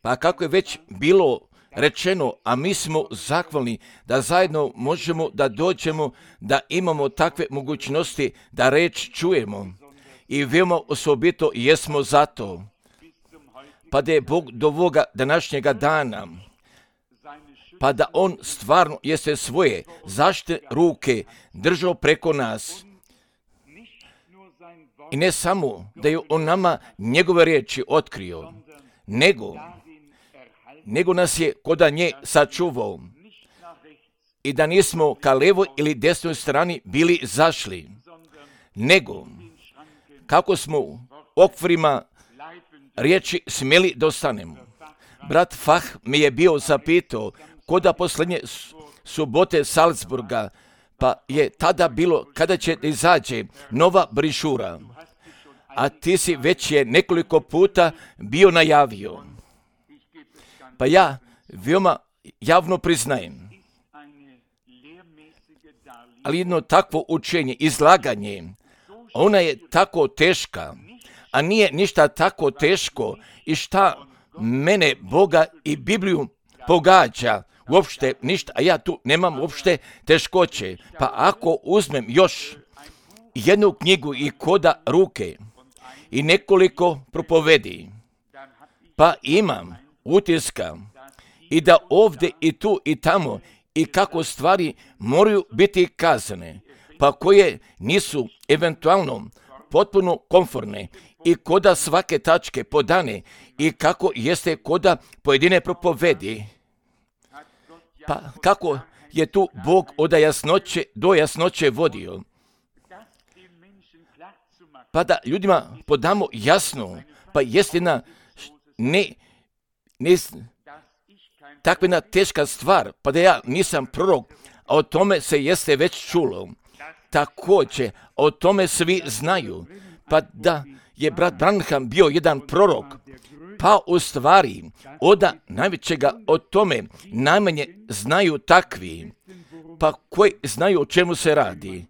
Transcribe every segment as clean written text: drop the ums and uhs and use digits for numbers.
Pa kako je već bilo rečeno, a mi smo zahvalni da zajedno možemo da dođemo, da imamo takve mogućnosti da reč čujemo i veoma osobito jesmo za to. Pa da je Bog do ovoga današnjega dana, pa da On stvarno jeste svoje zaštite ruke držao preko nas. I ne samo da je On nama njegove riječi otkrio, nego nas je koda nje sačuvao i da nismo ka levoj ili desnoj strani bili zašli, nego kako smo u okvirima riječi smjeli da ostanemo. Brat Fah me je bio zapitao koda posljednje subote Salzburga, pa je tada bilo kada će da izađe nova brišura, a ti si već je nekoliko puta bio najavio. Pa ja veoma javno priznajem, ali jedno takvo učenje, izlaganje, ona je tako teška, a nije ništa tako teško i šta mene, Boga i Bibliju pogađa, uopšte ništa, a ja tu nemam uopšte teškoće. Pa ako uzmem još jednu knjigu i koda ruke i nekoliko propovedi, pa imam utiska i da ovdje i tu i tamo i kako stvari moraju biti kazane, pa koje nisu eventualno potpuno komfortne i koda svake tačke podane i kako jeste koda pojedine propovedi. Pa kako je tu Bog od jasnoće do jasnoće vodio, pa da ljudima podamo jasno, pa jest jedna takva jedna teška stvar, pa da ja nisam prorok, a o tome se jeste već čulo. Također, o tome svi znaju, pa da je brat Branham bio jedan prorok, pa u stvari od najvećega o tome najmanje znaju takvi, pa koji znaju o čemu se radi.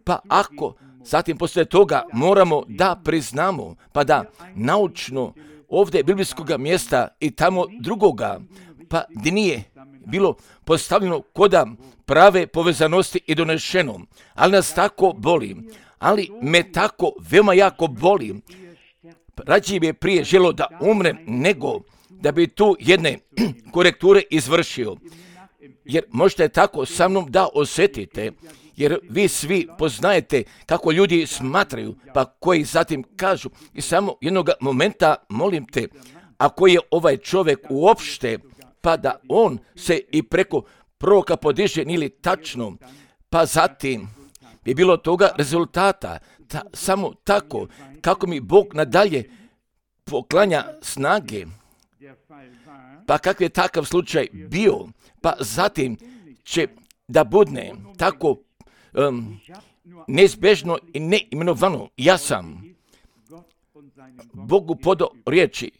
Pa ako zatim poslije toga moramo da priznamo, pa da naučno ovdje biblijskog mjesta i tamo drugoga, pa gdje nije bilo postavljeno koda prave povezanosti i donešeno, ali nas tako boli, ali me tako veoma jako boli. Rađe bi je prije želo da umrem, nego da bi tu jedne korekture izvršio. Jer možete tako sa mnom da osjetite, jer vi svi poznajete kako ljudi smatraju, pa koji zatim kažu. I samo jednog momenta molim te, ako je ovaj čovjek uopšte, pa da on se i preko proroka podiže, ili tačno, pa zatim bi bilo toga rezultata, samo tako, kako mi Bog nadalje poklanja snage, pa kakav je takav slučaj bio, pa zatim će da budne tako neizbežno i neimenovano. Ja sam Bogu podao riječi,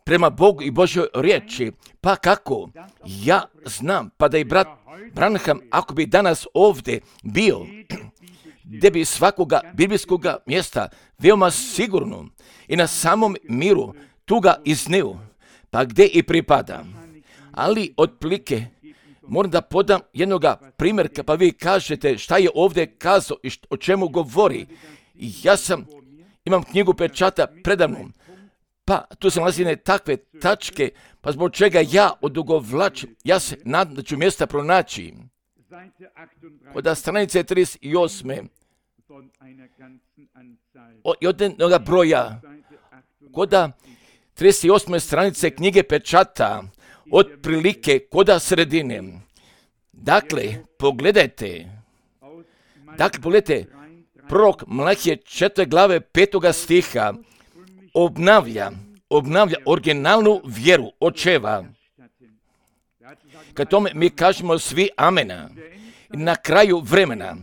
prema Bogu i Božjoj riječi, pa kako ja znam, pa da i brat Branham, ako bi danas ovdje bio, gdje bi svakoga biblijskog mjesta veoma sigurno i na samom miru tu ga izneo, pa gdje i pripada. Ali otprilike moram da podam jednoga primjerka, pa vi kažete šta je ovdje kazao i o čemu govori. Ja imam knjigu pečata predavnom, pa tu se nalazi takve tačke, pa zbog čega ja odugovlačim, ja se nadam da ću mjesta pronaći. Od stranice 38. Od jednoga broja, koda 38. stranice knjige pečata, od prilike koda sredine. Dakle, pogledajte, prorok Malahije 4. glave 5. stiha obnavlja originalnu vjeru očeva. Kad tome mi kažemo svi amena, na kraju vremena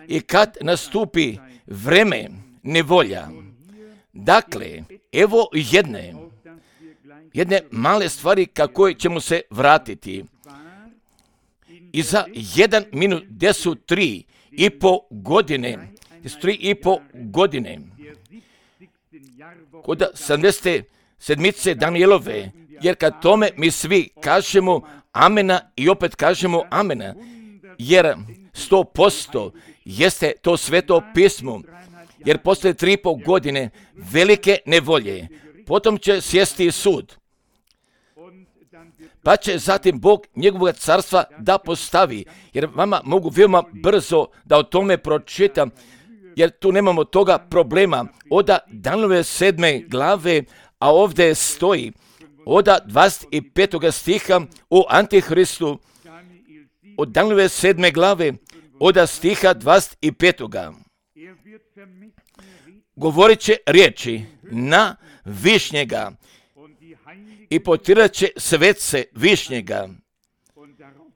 i kad nastupi vreme nevolja. Dakle, evo jedne male stvari kako ćemo se vratiti. I za 1 minut gdje su 3,5 godine, kod 70. sedmice Danielove, jer kad tome mi svi kažemo amena i opet kažemo amena, jer 100% jeste to sveto pismo, jer poslije 3,5 godine velike nevolje, potom će sjesti sud, pa će zatim Bog njegovog carstva da postavi, jer vama mogu veoma brzo da o tome pročitam, jer tu nemamo toga problema. Od Danielove 7. glave, a ovdje stoji od 25. stiha o Antihristu, od Danielove 7. glave, od stiha 25. Govorit će riječi na Višnjega i potirat će svece Višnjega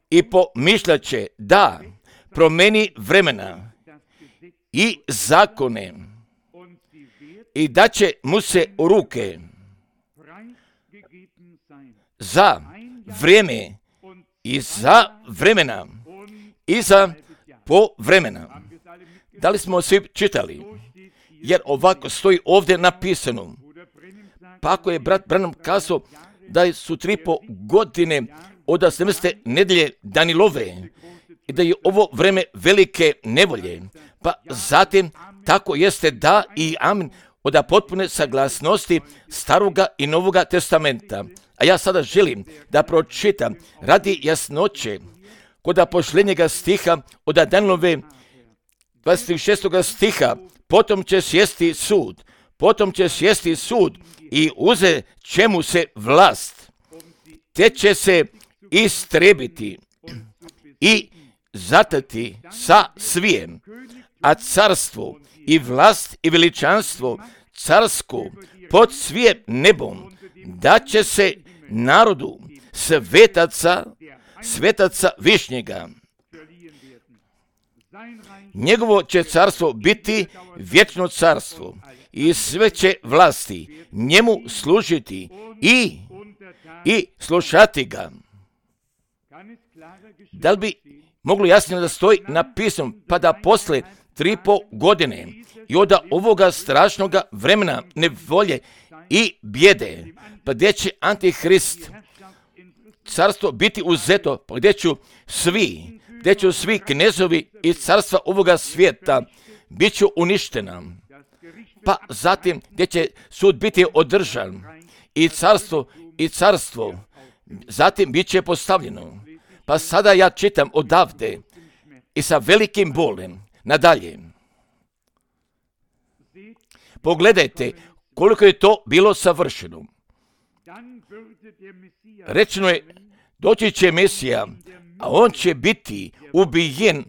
i pomišljat će da promeni vremena i zakone i da će mu se u ruke za vrijeme i za vremena i za povremena. Da li smo svi čitali? Jer ovako stoji ovdje napisano. Pa ako je brat Branham kazao da su 3,5 godine od 70. nedelje Danielove i da je ovo vreme velike nevolje, pa zatim tako jeste da i amen od potpune saglasnosti Staroga i Novoga testamenta. A ja sada želim da pročitam radi jasnoće kod posljednjega stiha od Danielove 26. stiha, potom će sjesti sud i uzet će mu se vlast, te će se istrebiti i zatati sa svijem, a carstvo i vlast i veličanstvo carsko pod svijem nebom da će se narodu svetaca Višnjega. Njegovo će carstvo biti vječno carstvo i sve će vlasti njemu služiti i slušati ga. Da li bi moglo jasnije da stoji napisano, pa da posle 3,5 godine i od ovoga strašnoga vremena nevolje i bijede, pa gdje će Antihrist carstvo biti uzeto, pa gdje će svi knezovi i carstva ovoga svijeta bit će uništena, pa zatim gdje će sud biti održan i carstvo zatim bit će postavljeno. Pa sada ja čitam odavde i sa velikim bolem nadalje. Pogledajte koliko je to bilo savršeno. Rečeno je, doći će Mesija, a on će biti ubijen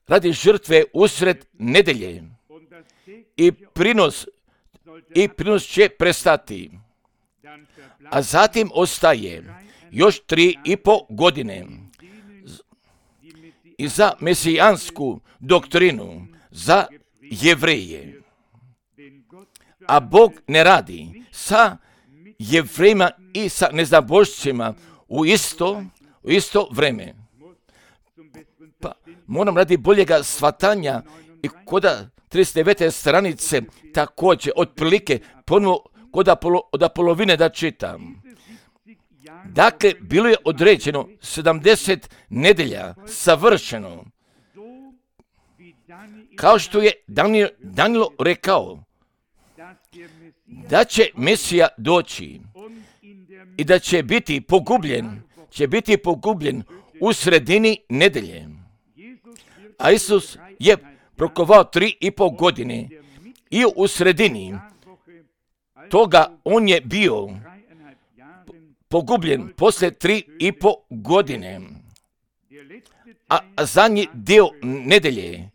radi žrtve usred nedelje i prinos će prestati. A zatim ostaje još 3,5 godine i za mesijansku doktrinu za Jevreje. A Bog ne radi sa Jevrejima i sa neznabošćima u isto vreme. Pa moram radi boljega shvatanja i kod 39. stranice također otprilike ponovo od polovine da čitam. Dakle, bilo je određeno 70 nedelja savršeno. Kao što je Danilo rekao, da će Mesija doći i da će biti pogubljen u sredini nedelje. A Isus je prokovao 3,5 godine i u sredini toga on je bio pogubljen poslije 3,5 godine. A zadnji dio nedelje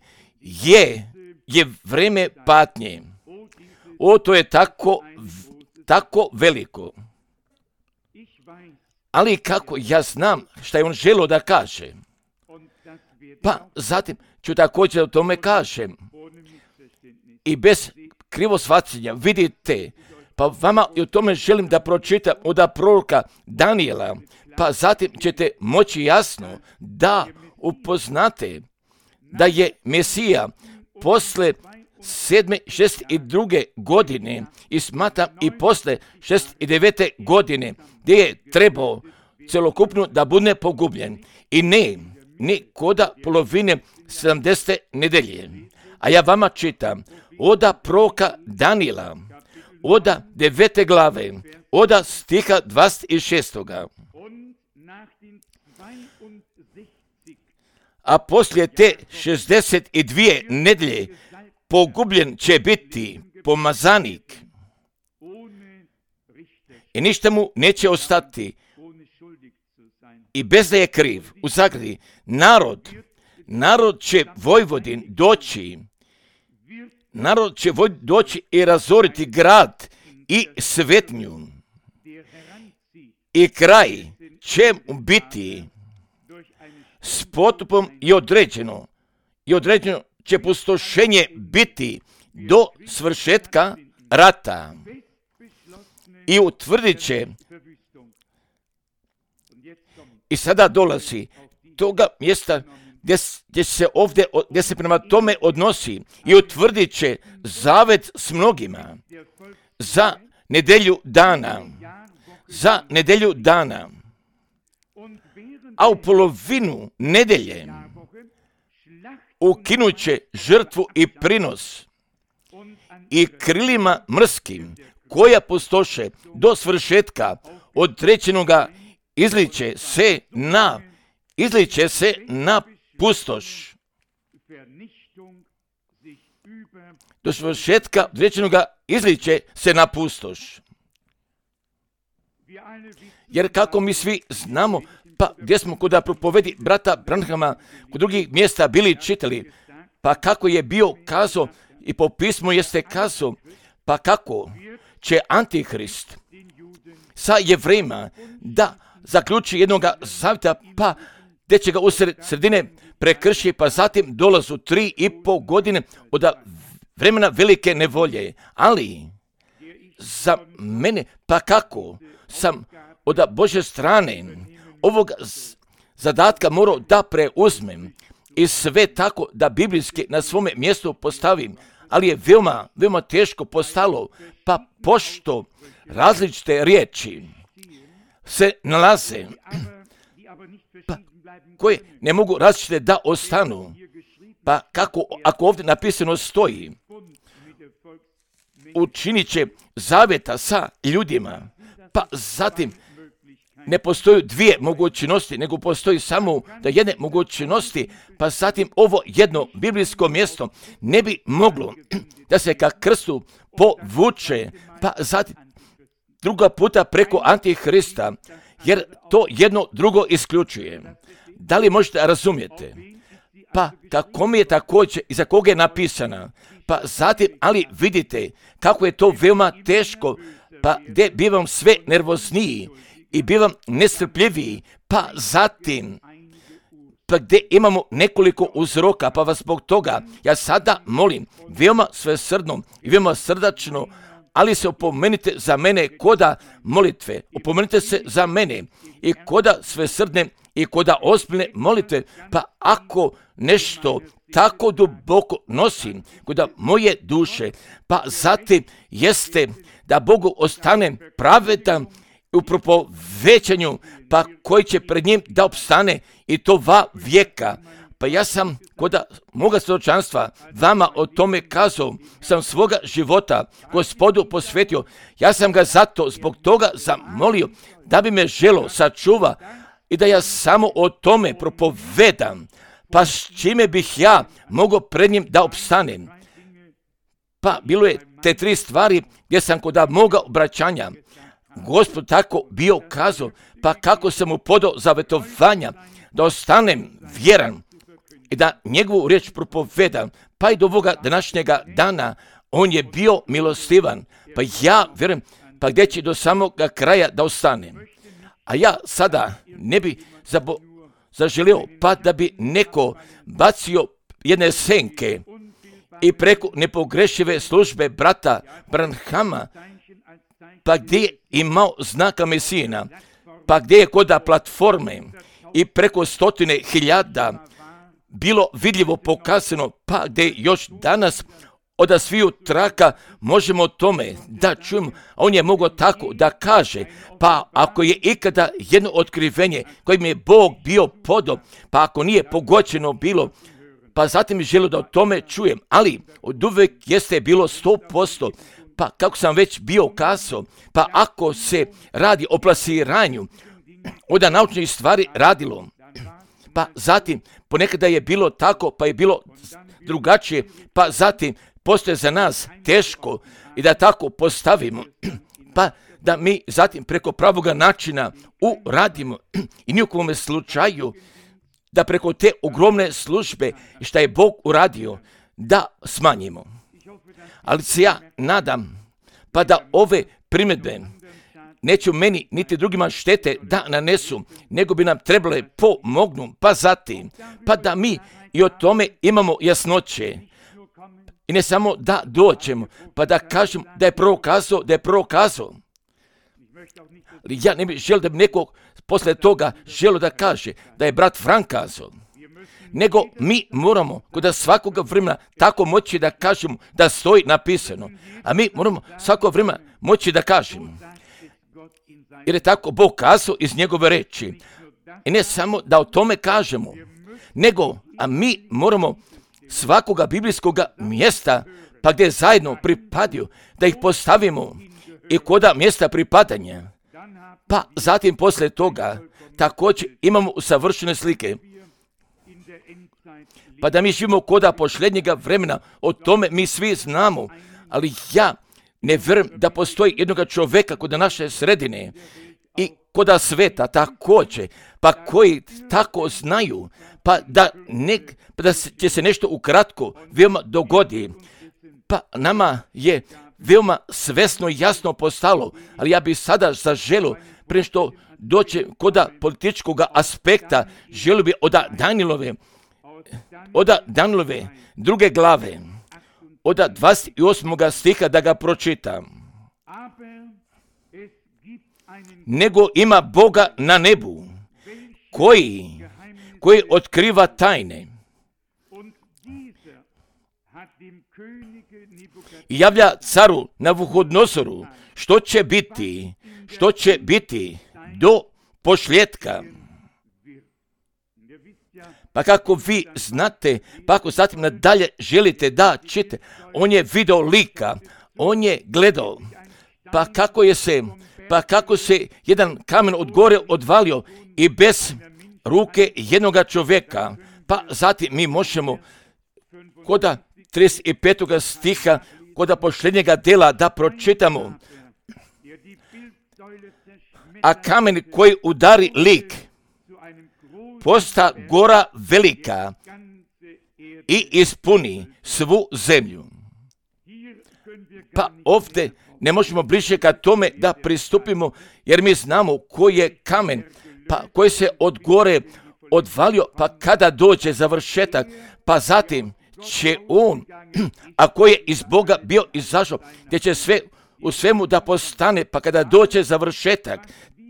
je vreme patnje. To je tako veliko. Ali kako ja znam šta je on želio da kaže. Pa zatim ću također o tome kažem. I bez krivo shvaćanja, vidite, pa vama i o tome želim da pročitam od proroka Daniela, pa zatim ćete moći jasno da upoznate da je Mesija posle 7. 62. godine i smatram i posle 69. godine gdje je trebao celokupno da bude pogubljen. I ne koda polovine 70. nedelje. A ja vama čitam oda proroka Danila, oda 9. glave, oda stiha 26. A poslije te 62 nedelje pogubljen će biti pomazanik i ništa mu neće ostati i bez da je kriv. U zagradi, narod će Vojvodin doći, narod će doći i razoriti grad i svetnju i kraj će biti s potupom i određeno će pustošenje biti do svršetka rata i utvrdit će. I sada dolazi toga mjesta gdje se prema tome odnosi i utvrdit će zavet s mnogima za nedelju dana. A u polovinu nedelje ukinut će žrtvu i prinos i krilima mrskim koja pustoše do svršetka određenoga izliče se na pustoš. Do svršetka određenoga izliče se na pustoš. Jer kako mi svi znamo, pa gdje smo kod propovedi brata Branhama, kod drugih mjesta bili čitali, pa kako je bio kazao i po pismu jeste kazao, pa kako će Antihrist sa Jevrejima da zaključi jednoga zavjeta, pa gdje će ga u sredine prekrši, pa zatim dolazu 3,5 godine od vremena velike nevolje. Ali za mene, pa kako sam od Božje strane ovog zadatka morao da preuzmem i sve tako da biblijski na svome mjestu postavim, ali je veoma teško postalo, pa pošto različite riječi se nalaze, pa koje ne mogu različite da ostanu, pa kako ako ovdje napisano stoji, učinit će zavjeta sa ljudima, pa zatim ne postoji dvije mogućnosti, nego postoji samo da jedne mogućnosti, pa zatim ovo jedno biblijsko mjesto ne bi moglo da se ka krstu povuče, pa zatim druga puta preko Antihrista, jer to jedno drugo isključuje. Da li možete razumjeti? Pa kako mi je također i za koga je napisana, pa zatim, ali vidite kako je to veoma teško, pa gdje bivam sve nervozniji i bivam nestrpljiviji, pa zatim, pa gdje imamo nekoliko uzroka, pa vas zbog toga ja sada molim veoma svesrdno i veoma srdačno, ali se opomenite za mene koda molitve, opomenite se za mene i koda svesrdne i koda ozbiljne molitve, pa ako nešto tako duboko nosim koda moje duše, pa zatim jeste da Bogu ostane pravedan u propovećanju, pa koji će pred njim da opstane i to 2 vijeka. Pa ja sam koda moga svjedočanstva vama o tome kazao, sam svoga života Gospodu posvetio. Ja sam ga zbog toga zamolio da bi me želo sačuva i da ja samo o tome propovedam, pa s čime bih ja mogao pred njim da opstanem. Pa bilo je te 3 stvari gdje sam kod moga obraćanja Gospod tako bio kazao, pa kako sam mu podao zavetovanja da ostanem vjeran i da njegovu riječ propovedam, pa i do ovoga današnjega dana on je bio milostivan, pa ja vjerujem, pa gdje će do samoga kraja da ostanem. A ja sada ne bi zaželio, pa da bi neko bacio jedne senke i preko nepogrešive službe brata Branhama, pa gdje je imao znaka Mesijina, pa gdje je koda platforme i preko 100.000 bilo vidljivo pokazano, pa gdje još danas od sviju traka možemo o tome da čujemo. On je mogao tako da kaže, pa ako je ikada jedno otkrivenje kojim je Bog bio podob, pa ako nije pogođeno bilo, pa zatim je želio da o tome čujem, ali od uvijek jeste bilo 100%, pa kako sam već bio kazao, pa ako se radi o plasiranju, onda naučnih stvari radilo, pa zatim ponekada je bilo tako, pa je bilo drugačije, pa zatim postoje za nas teško i da tako postavimo, pa da mi zatim preko pravoga načina uradimo i nijekom slučaju da preko te ogromne službe šta je Bog uradio da smanjimo. Ali se ja nadam pa da ove primjedbe neće meni niti drugima štete da nanesu, nego bi nam trebale pomognu, pa zatim, pa da mi i o tome imamo jasnoće. I ne samo da dođemo, pa da kažem da je prorok kazao. Ja ne bih želio da bi nekog posle toga želio da kaže da je brat Frank kazao. Nego mi moramo kod svakoga vremena tako moći da kažemo da stoji napisano. A mi moramo svako vremena moći da kažemo. Jer je tako Bog kazao iz njegove reči. I ne samo da o tome kažemo, nego a mi moramo svakoga biblijskoga mjesta pa gdje zajedno pripadaju da ih postavimo i koda mjesta pripadanja. Pa zatim poslije toga također imamo usavršene slike. Pa da mi živimo koda posljednjega vremena, o tome mi svi znamo, ali ja ne vjerujem da postoji jednoga čovjeka kod naše sredine i koda sveta također, pa koji tako znaju, pa da će se nešto ukratko veoma dogodi. Pa nama je veoma svesno i jasno postalo, ali ja bih sada zaželio, prije što doće koda političkog aspekta, želio bi od Danilove druge glave, od 28. stiha da ga pročitam. Nego ima Boga na nebu, koji otkriva tajne i javlja caru Navuhodnosoru što će biti do posljetka. Pa kako vi znate, pa ako zatim nadalje želite da čite, on je video lika, on je gledao, pa kako se jedan kamen od gore odvalio i bez ruke jednoga čovjeka, pa zatim mi možemo koda 35. stiha, koda posljednjega dela da pročitamo. A kamen koji udari lik posta gora velika i ispuni svu zemlju. Pa ovdje ne možemo bliže ka tome da pristupimo, jer mi znamo koji je kamen, pa koji se od gore odvalio, pa kada dođe završetak, pa zatim će on, a koji je iz Boga bio izašao, gdje će sve u svemu da postane, pa kada dođe završetak,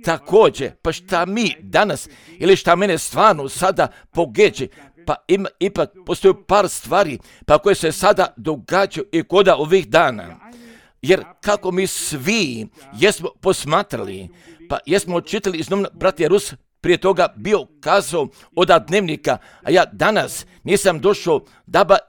također, pa šta mi danas, ili šta mene stvarno sada pogeđe, pa ipak postoji par stvari, pa koje se sada događaju i koda ovih dana. Jer kako mi svi jesmo posmatrali, pa jesmo čitali iz novina, brat Rus prije toga bio kazao od dnevnika, a ja danas nisam došao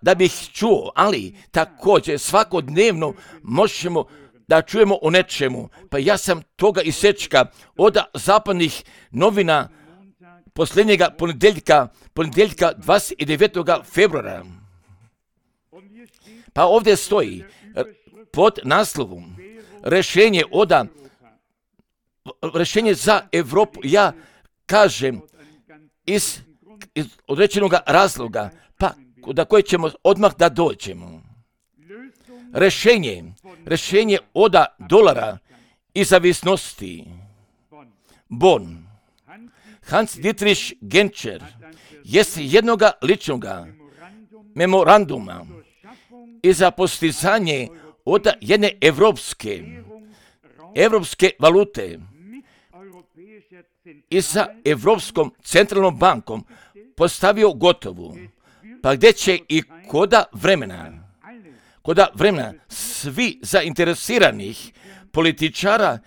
da bih čuo, ali također svakodnevno možemo da čujemo o nečemu. Pa ja sam toga isečka od zapadnih novina posljednjega ponedjeljka 29. februara. Pa ovdje stoji pod naslovom rješenje za Europu. Ja kažem iz određenog razloga, pa da koje ćemo odmah da dođemo. Rješenje od dolara i zavisnosti. Bonn. Hans Dietrich Genscher jest jednoga ličnoga memoranduma i za postizanje od jedne evropske valute i sa Evropskom centralnom bankom postavio gotovu, pa gdje će i koda vremena koda vremena svi zainteresiranih političara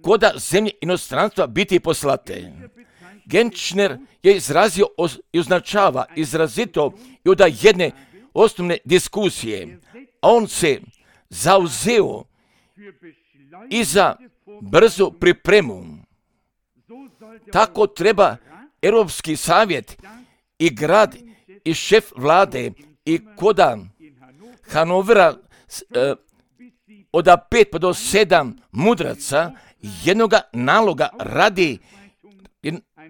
koda zemlje inostranstva biti poslate. Genčner je izrazio i označava izrazito i od jedne osnovne diskusije. On se zauzeo i za brzu pripremu. Tako treba Europski savjet i grad i šef vlade i koda Hanovera od 5 pa do 7 mudraca jednoga naloga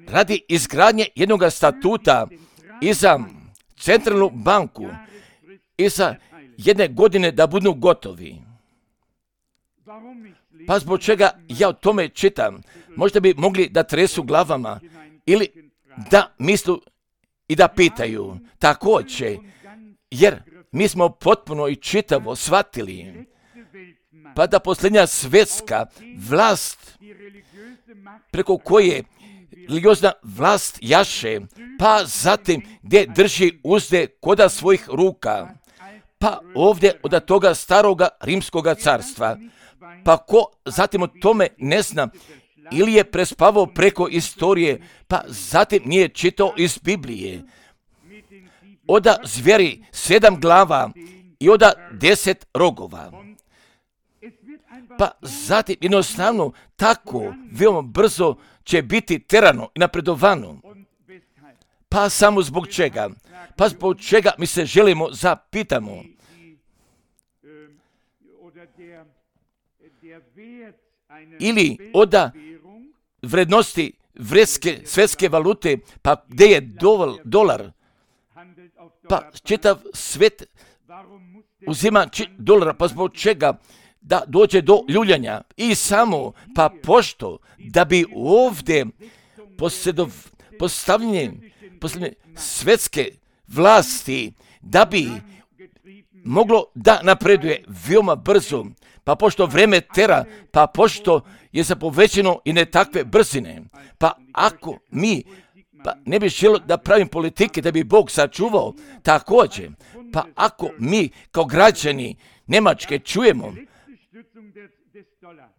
radi izgradnje jednog statuta i za centralnu banku i za 1 godine da budu gotovi. Pa zbog čega ja o tome čitam? Možda bi mogli da tresu glavama ili da mislu i da pitaju. Također, jer mi smo potpuno i čitavo shvatili pa da posljednja svjetska vlast preko koje religiozna vlast jaše, pa zatim gdje drži uzde koda svojih ruka, pa ovdje od toga staroga rimskoga carstva, pa ko zatim o tome ne zna ili je prespavao preko istorije, pa zatim nije čitao iz Biblije. Oda zvjeri 7 glava i oda 10 rogova. Pa zatim jednostavno tako veoma brzo će biti terano i napredovano. Pa samo zbog čega? Pa zbog čega mi se želimo zapitamo. Ili oda vrednosti svjetske valute, pa gdje je dolar, pa čitav svijet uzima dolara, pa zbog čega da dođe do ljuljanja i samo, pa pošto da bi ovdje postavljanje svjetske vlasti, da bi moglo da napreduje veoma brzo, pa pošto vreme tera, pa pošto je zapovećeno i ne takve brzine, pa ako mi ne bi želio da pravim politike da bi Bog sačuvao, također, pa ako mi kao građani Njemačke čujemo,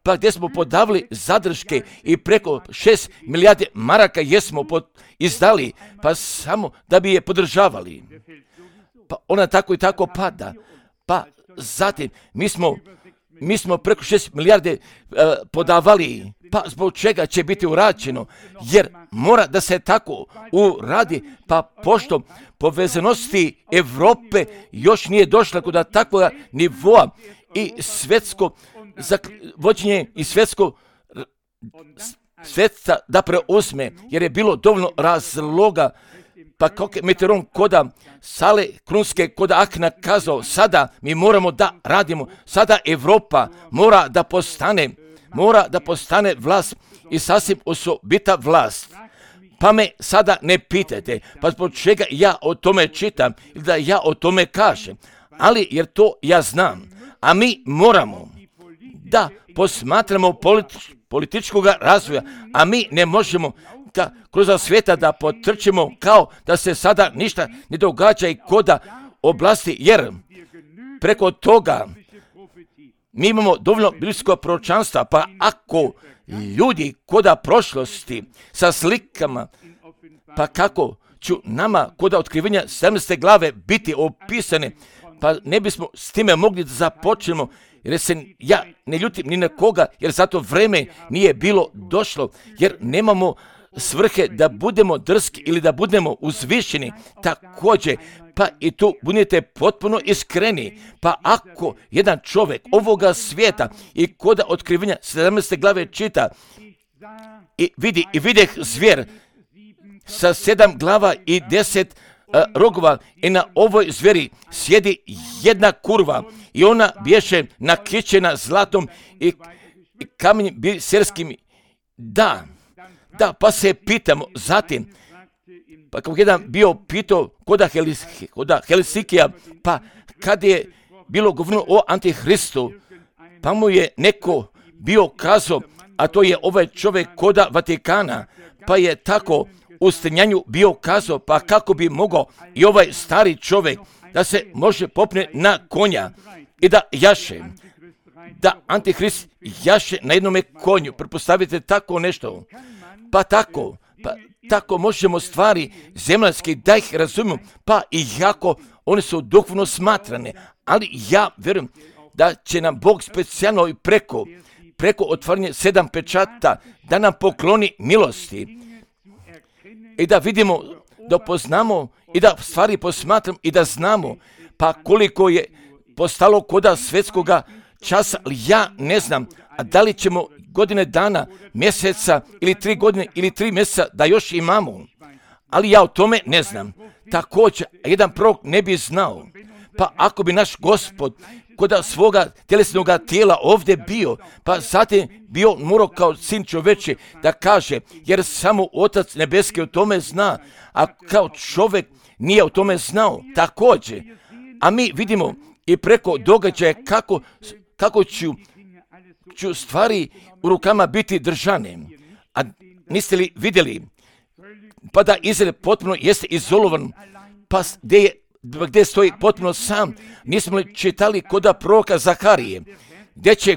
pa gdje smo podavili zadrške i preko 6 milijardi maraka jesmo izdali, pa samo da bi je podržavali. Pa ona tako i tako pada. Pa zatim mi smo preko 6 milijarde podavali, pa zbog čega će biti urađeno, jer mora da se tako uradi, pa pošto povezanosti Europe još nije došla kod takvog nivoa i svjetsko vođenje i svjetsko svjetca da preuzme, jer je bilo dovoljno razloga, pa kako je Mitterrand koda sale krunske koda Akna kazao, sada mi moramo da radimo, sada Europa mora da postane vlast i sasvim osobita vlast. Pa me sada ne pitajte, pa zbog čega ja o tome čitam ili da ja o tome kažem, ali jer to ja znam, a mi moramo da posmatramo političkog razvoja, a mi ne možemo da kroz svijeta da potrčimo kao da se sada ništa ne događa i koda oblasti, jer preko toga mi imamo dovoljno biblijsko proročanstva, pa ako ljudi koda prošlosti sa slikama, pa kako ću nama koda otkrivenja 17. glave biti opisane, pa ne bismo s time mogli da započnemo, jer se ja ne ljutim ni na koga, jer zato vreme nije bilo došlo, jer nemamo svrhe da budemo drski ili da budemo uzvišeni. Također, pa i tu budete potpuno iskreni, pa ako jedan čovjek ovoga svijeta i koda otkrivenja 17. glave čita i videh zvijer sa 7 glava i 10 rogova i na ovoj zveri sjedi jedna kurva i ona bješe nakićena zlatom i kamenjem biserskim. Da, pa se pitamo zatim, pa kao jedan bio pitao koda Helsikija, pa kad je bilo govoreno o Antihristu, pa mu je neko bio kazao, a to je ovaj čovjek koda Vatikana, pa je tako u stenjanju bio kazao, pa kako bi mogao i ovaj stari čovjek da se može popne na konja i da jaše, da Antihrist jaše na jednome konju. Pretpostavite tako nešto. Pa tako možemo stvari zemaljske da ih razumijemo, pa i jako one su duhovno smatrane. Ali ja vjerujem da će nam Bog specijalno i preko otvaranja 7 pečata da nam pokloni milosti i da vidimo, da poznamo i da stvari posmatramo i da znamo pa koliko je postalo koda svjetskoga časa, ali ja ne znam, a da li ćemo godine dana, mjeseca ili 3 godine ili 3 mjeseca da još imamo, ali ja o tome ne znam. Također, jedan prorok ne bi znao, pa ako bi naš Gospod koda svoga tjelesnog tijela ovdje bio, pa zatim bio morao kao sin čoveči da kaže, jer samo Otac nebeski o tome zna, a kao čovjek nije o tome znao također. A mi vidimo i preko događaja kako ću stvari u rukama biti držane. A niste li vidjeli, pa da Izrael potpuno jeste izolovan, pa gdje stoji potpuno sam, nismo li čitali koda proroka Zaharije, gdje će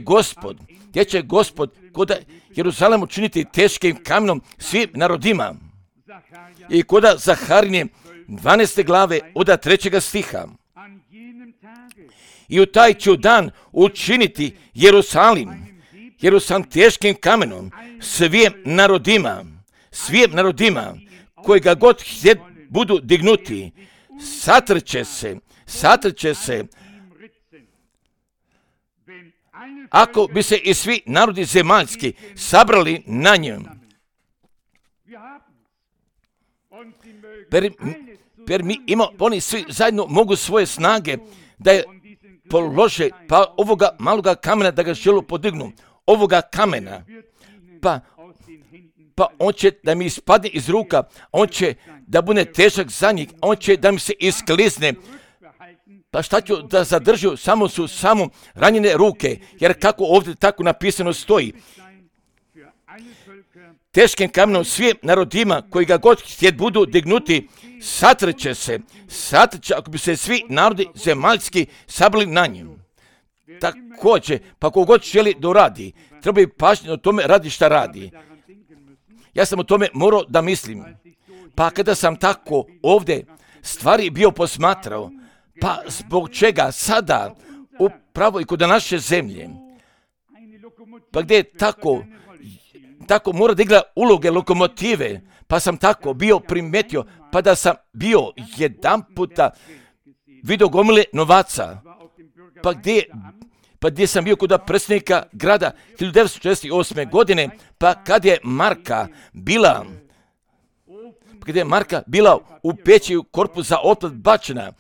Gospod koda Jeruzalem učiniti teškim kamenom svim narodima. I koda Zaharije 12. glave od 3. stiha. I u taj ću dan učiniti Jerusalim teškim kamenom svim narodima koji ga god budu dignuti, satrče se, ako bi se i svi narodi zemaljski sabrali na njem. Per mi oni svi zajedno mogu svoje snage da je polože, pa ovoga maloga kamena da ga želu podignu, ovoga kamena, pa on će da mi ispadne iz ruka, on će da bude težak za njih, on će da mi se isklizne. Pa šta ću da zadržu, samo ranjene ruke, jer kako ovdje tako napisano stoji, teškim kamenom svim narodima koji ga god htjet budu dignuti, satrče ako bi se svi narodi zemaljski sabrali na njim. Također, pa kogod želi da radi, treba i pažnje o tome radi šta radi. Ja sam o tome morao da mislim. Pa kada sam tako ovdje stvari bio posmatrao, pa zbog čega sada upravo i kod naše zemlje, pa gdje je tako mora da igra uloge lokomotive, pa sam tako bio primetio, pa da sam bio jedan puta vidio gomile novaca, pa gdje sam bio kod predsjednika grada 1948. godine, pa kad je Marka bila u peći u korpus za otpad bačena,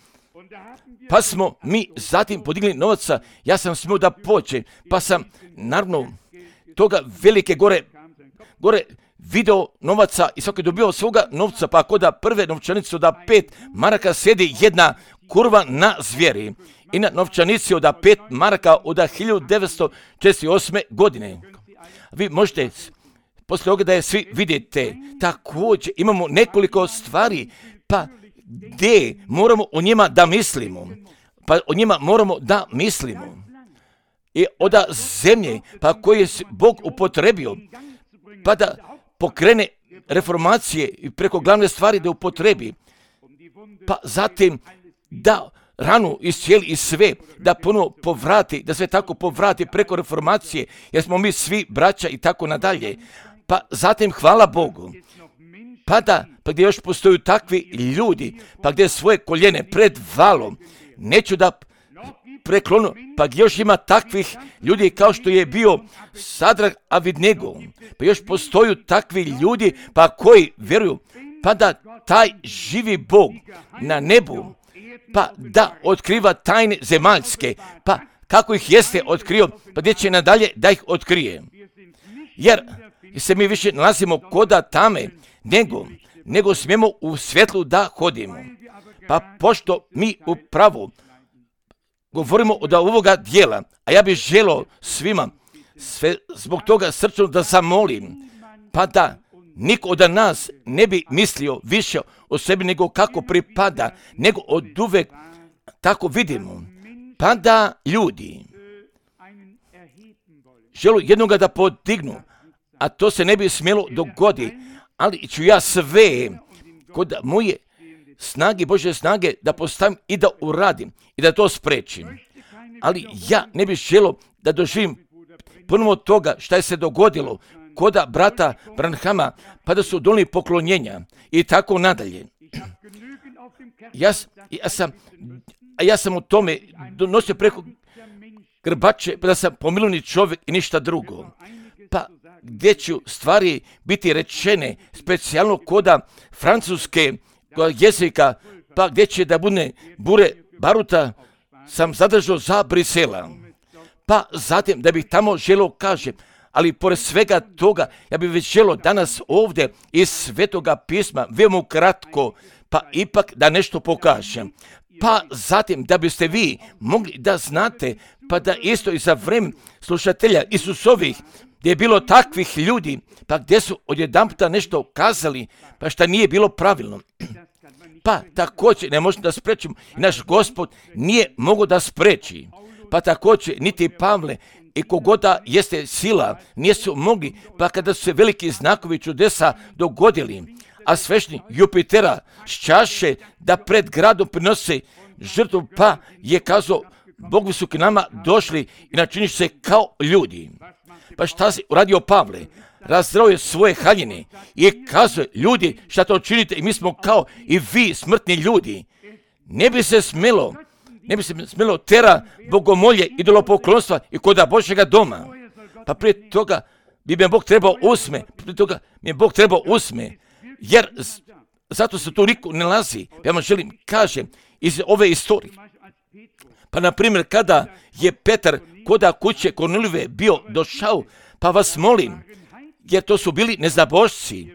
pa smo mi zatim podigli novaca, ja sam smio da pođem, pa sam naravno toga velike gore video novaca i svaki je dobio svoga novca, pa kod prve novčanice od 5 maraka sjedi jedna kurva na zvijeri i na novčanici od 5 maraka od 1948. godine. Vi možete poslije toga da je svi vidite. Također imamo nekoliko stvari, pa gdje moramo o njima da mislimo. I od zemlje, pa koje je Bog upotrebio, pa da pokrene reformacije i preko glavne stvari da upotrebi, pa zatim da ranu iscijeli i sve, da ponovo povrati, da sve tako povrati preko reformacije, jer smo mi svi braća i tako nadalje. Pa zatim hvala Bogu, pa gdje još postoju takvi ljudi, pa gdje svoje koljene pred valom, neću da preklonu, pa gdje još ima takvih ljudi kao što je bio Sadrah Abednego, pa još postoju takvi ljudi, pa koji vjeruju, pa da taj živi Bog na nebu, pa da otkriva tajne zemaljske, pa kako ih jeste otkrio, pa gdje će nadalje da ih otkrije. Jer se mi više nalazimo koda tame, nego smijemo u svjetlu da hodimo. Pa pošto mi upravo govorimo od ovoga dijela, a ja bih želio svima sve zbog toga srčno da zamolim, pa da niko od nas ne bi mislio više o sebi nego kako pripada, nego od uvek tako vidimo, pa da ljudi žele jednoga da podignu, a to se ne bi smjelo dogoditi, ali ću ja sve kod moje snage, Božje snage, da postavim i da uradim i da to sprečim. Ali ja ne bih želio da doživim ponovo toga šta je se dogodilo koda brata Branhama, pa da su donijeli poklonjenja i tako nadalje. Ja sam u tome donosio preko grbače, pa da sam pomilovni čovjek i ništa drugo. Pa gdje ću stvari biti rečene, specijalno koda francuske jezika, pa gdje će da bude bure baruta, sam zadržao za Brisela. Pa zatim da bih tamo želio kažem, ali pored svega toga, ja bih već želio danas ovdje iz Svetoga pisma, veoma kratko, pa ipak da nešto pokažem. Pa zatim da biste vi mogli da znate, pa da isto i za vreme slušatelja Isusovih, gdje je bilo takvih ljudi, pa gdje su odjedanputa nešto kazali, pa šta nije bilo pravilno. Pa također ne možemo da sprečimo, naš Gospod nije mogao da spreči. Pa također niti Pavle i kogoda jeste sila nisu mogli, pa kada su se veliki znakovi čudesa dogodili, a svešni Jupitera s čaše da pred gradom prinose žrtvu, pa je kazao, Bogovi su k nama došli i načiniš se kao ljudi. Pa šta si uradio Pavle? Razdrao je svoje haljine i kazuje, ljudi, šta to činite? I mi smo kao i vi, smrtni ljudi. Ne bi se smelo tera bogomolje, idolopoklonstva i koda Božjega doma. Pa prije toga bi me Bog trebao usme, jer zato se tu niko ne lazi. Ja vam želim, kažem, iz ove istorije. Pa na primjer, kada je Petar koda kuće Kornelijeve bio došao, pa vas molim, jer to su bili neznabošci,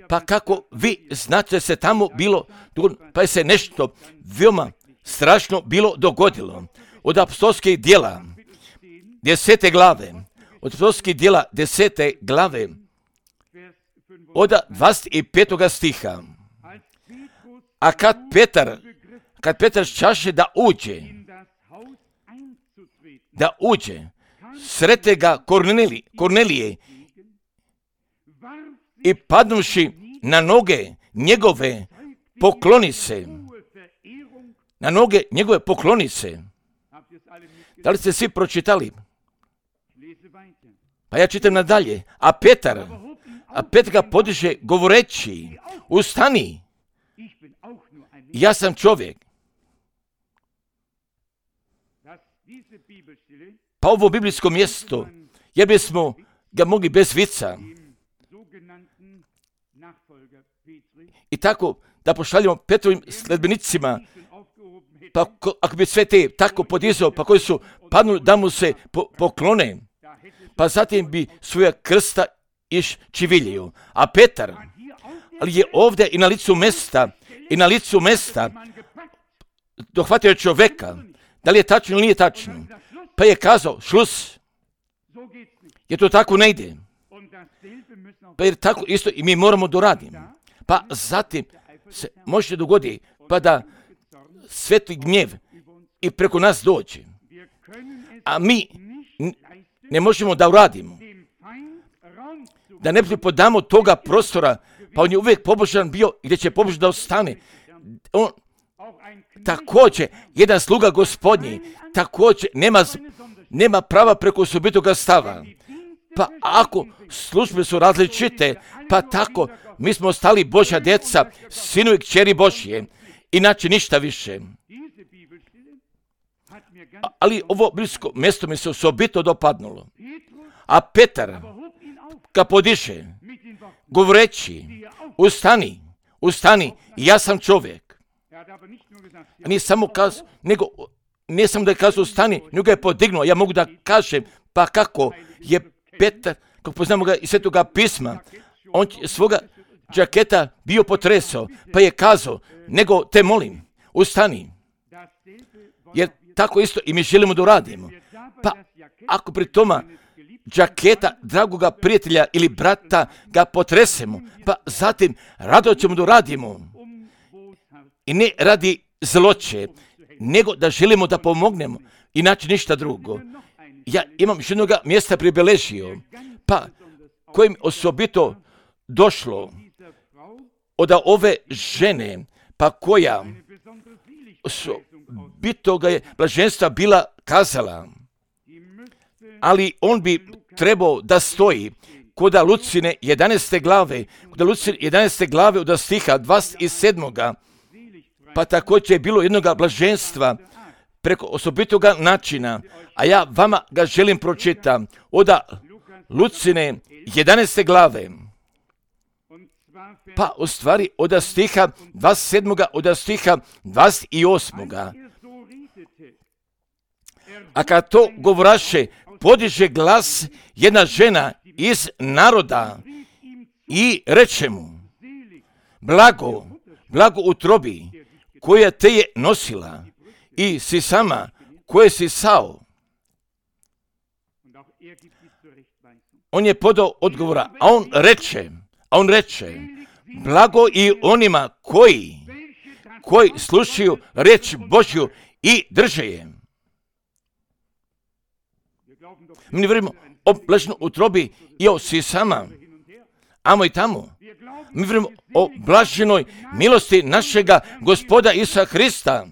pa kako vi znate se tamo bilo, pa je se nešto veoma strašno bilo dogodilo. Od apostolskih djela 10. glave, od 25. stiha. A kad Petar čaše da uđe, srete ga Kornelije i padnuši na noge njegove pokloni se. Da li ste svi pročitali? Pa ja čitam nadalje. A Petar ga podiže govoreći, ustani, ja sam čovjek. Pa ovo biblijsko mjesto, jer bismo ga mogli bez vica i tako da pošaljemo Petrovim sledbenicima, pa ako bi sve te tako podizao, pa koji su padnuli da mu se poklone, pa zatim bi svoja krsta iščiviljio. A Petar, ali je ovdje i na licu mesta dohvatio čovjeka, da li je tačno ili nije tačno, pa je kazao, šlus, jer to tako ne ide. Pa jer tako isto i mi moramo doraditi. Pa zatim se može dogoditi, pa da sveti gnjev i preko nas dođe. A mi ne možemo da uradimo. Da ne podamo toga prostora, pa on je uvijek pobožan bio i gdje će pobožan da ostane. On također, jedan sluga Gospodnji, također nema prava preko osobitoga stava. Pa ako službe su različite, pa tako mi smo ostali Božja djeca, sinu i kćeri Božje, inače ništa više. Ali ovo biblijsko mjesto mi se osobito dopadnulo. A Petar ga podiže, govoreći, ustani, ja sam čovjek. A nije samo kazao, nije samo da je kazao ustani, nego je podignuo. Ja mogu da kažem, pa kako je Petar, kako poznamo ga iz Svetoga pisma, on svoga džaketa bio potresao, pa je kazao, nego te molim, ustani. Jer tako isto i mi želimo da uradimo. Pa ako pri toma džaketa dragoga prijatelja ili brata ga potresemo, pa zatim rado ćemo da uradimo. I ne radi zloće, nego da želimo da pomognemo, inače ništa drugo. Ja imam još jednoga mjesta pribeležio, pa kojim osobito došlo od ove žene, pa koja osobito ga je blaženstva bila kazala, ali on bi trebao da stoji kod Lucine 11. glave, kod Lucine 11. glave od stiha 27. Pa također je bilo jednoga blaženstva preko osobitoga načina, a ja vama ga želim pročitati od Lucine 11. glave. Pa u stvari od stiha 27. od stiha 28. A kad to govoraše, podiže glas jedna žena iz naroda i reče mu, blago, blago utrobi, koja te je nosila i si sama, koje si sao. On je podao odgovora, a on reče, blago i onima koji slušaju reč Božju i drže je. Mi ne vjerujemo o blaženoj utrobi i o sisama, amo i tamo. Mi vjerujemo o blaženoj milosti našega Gospoda Isusa Hrista.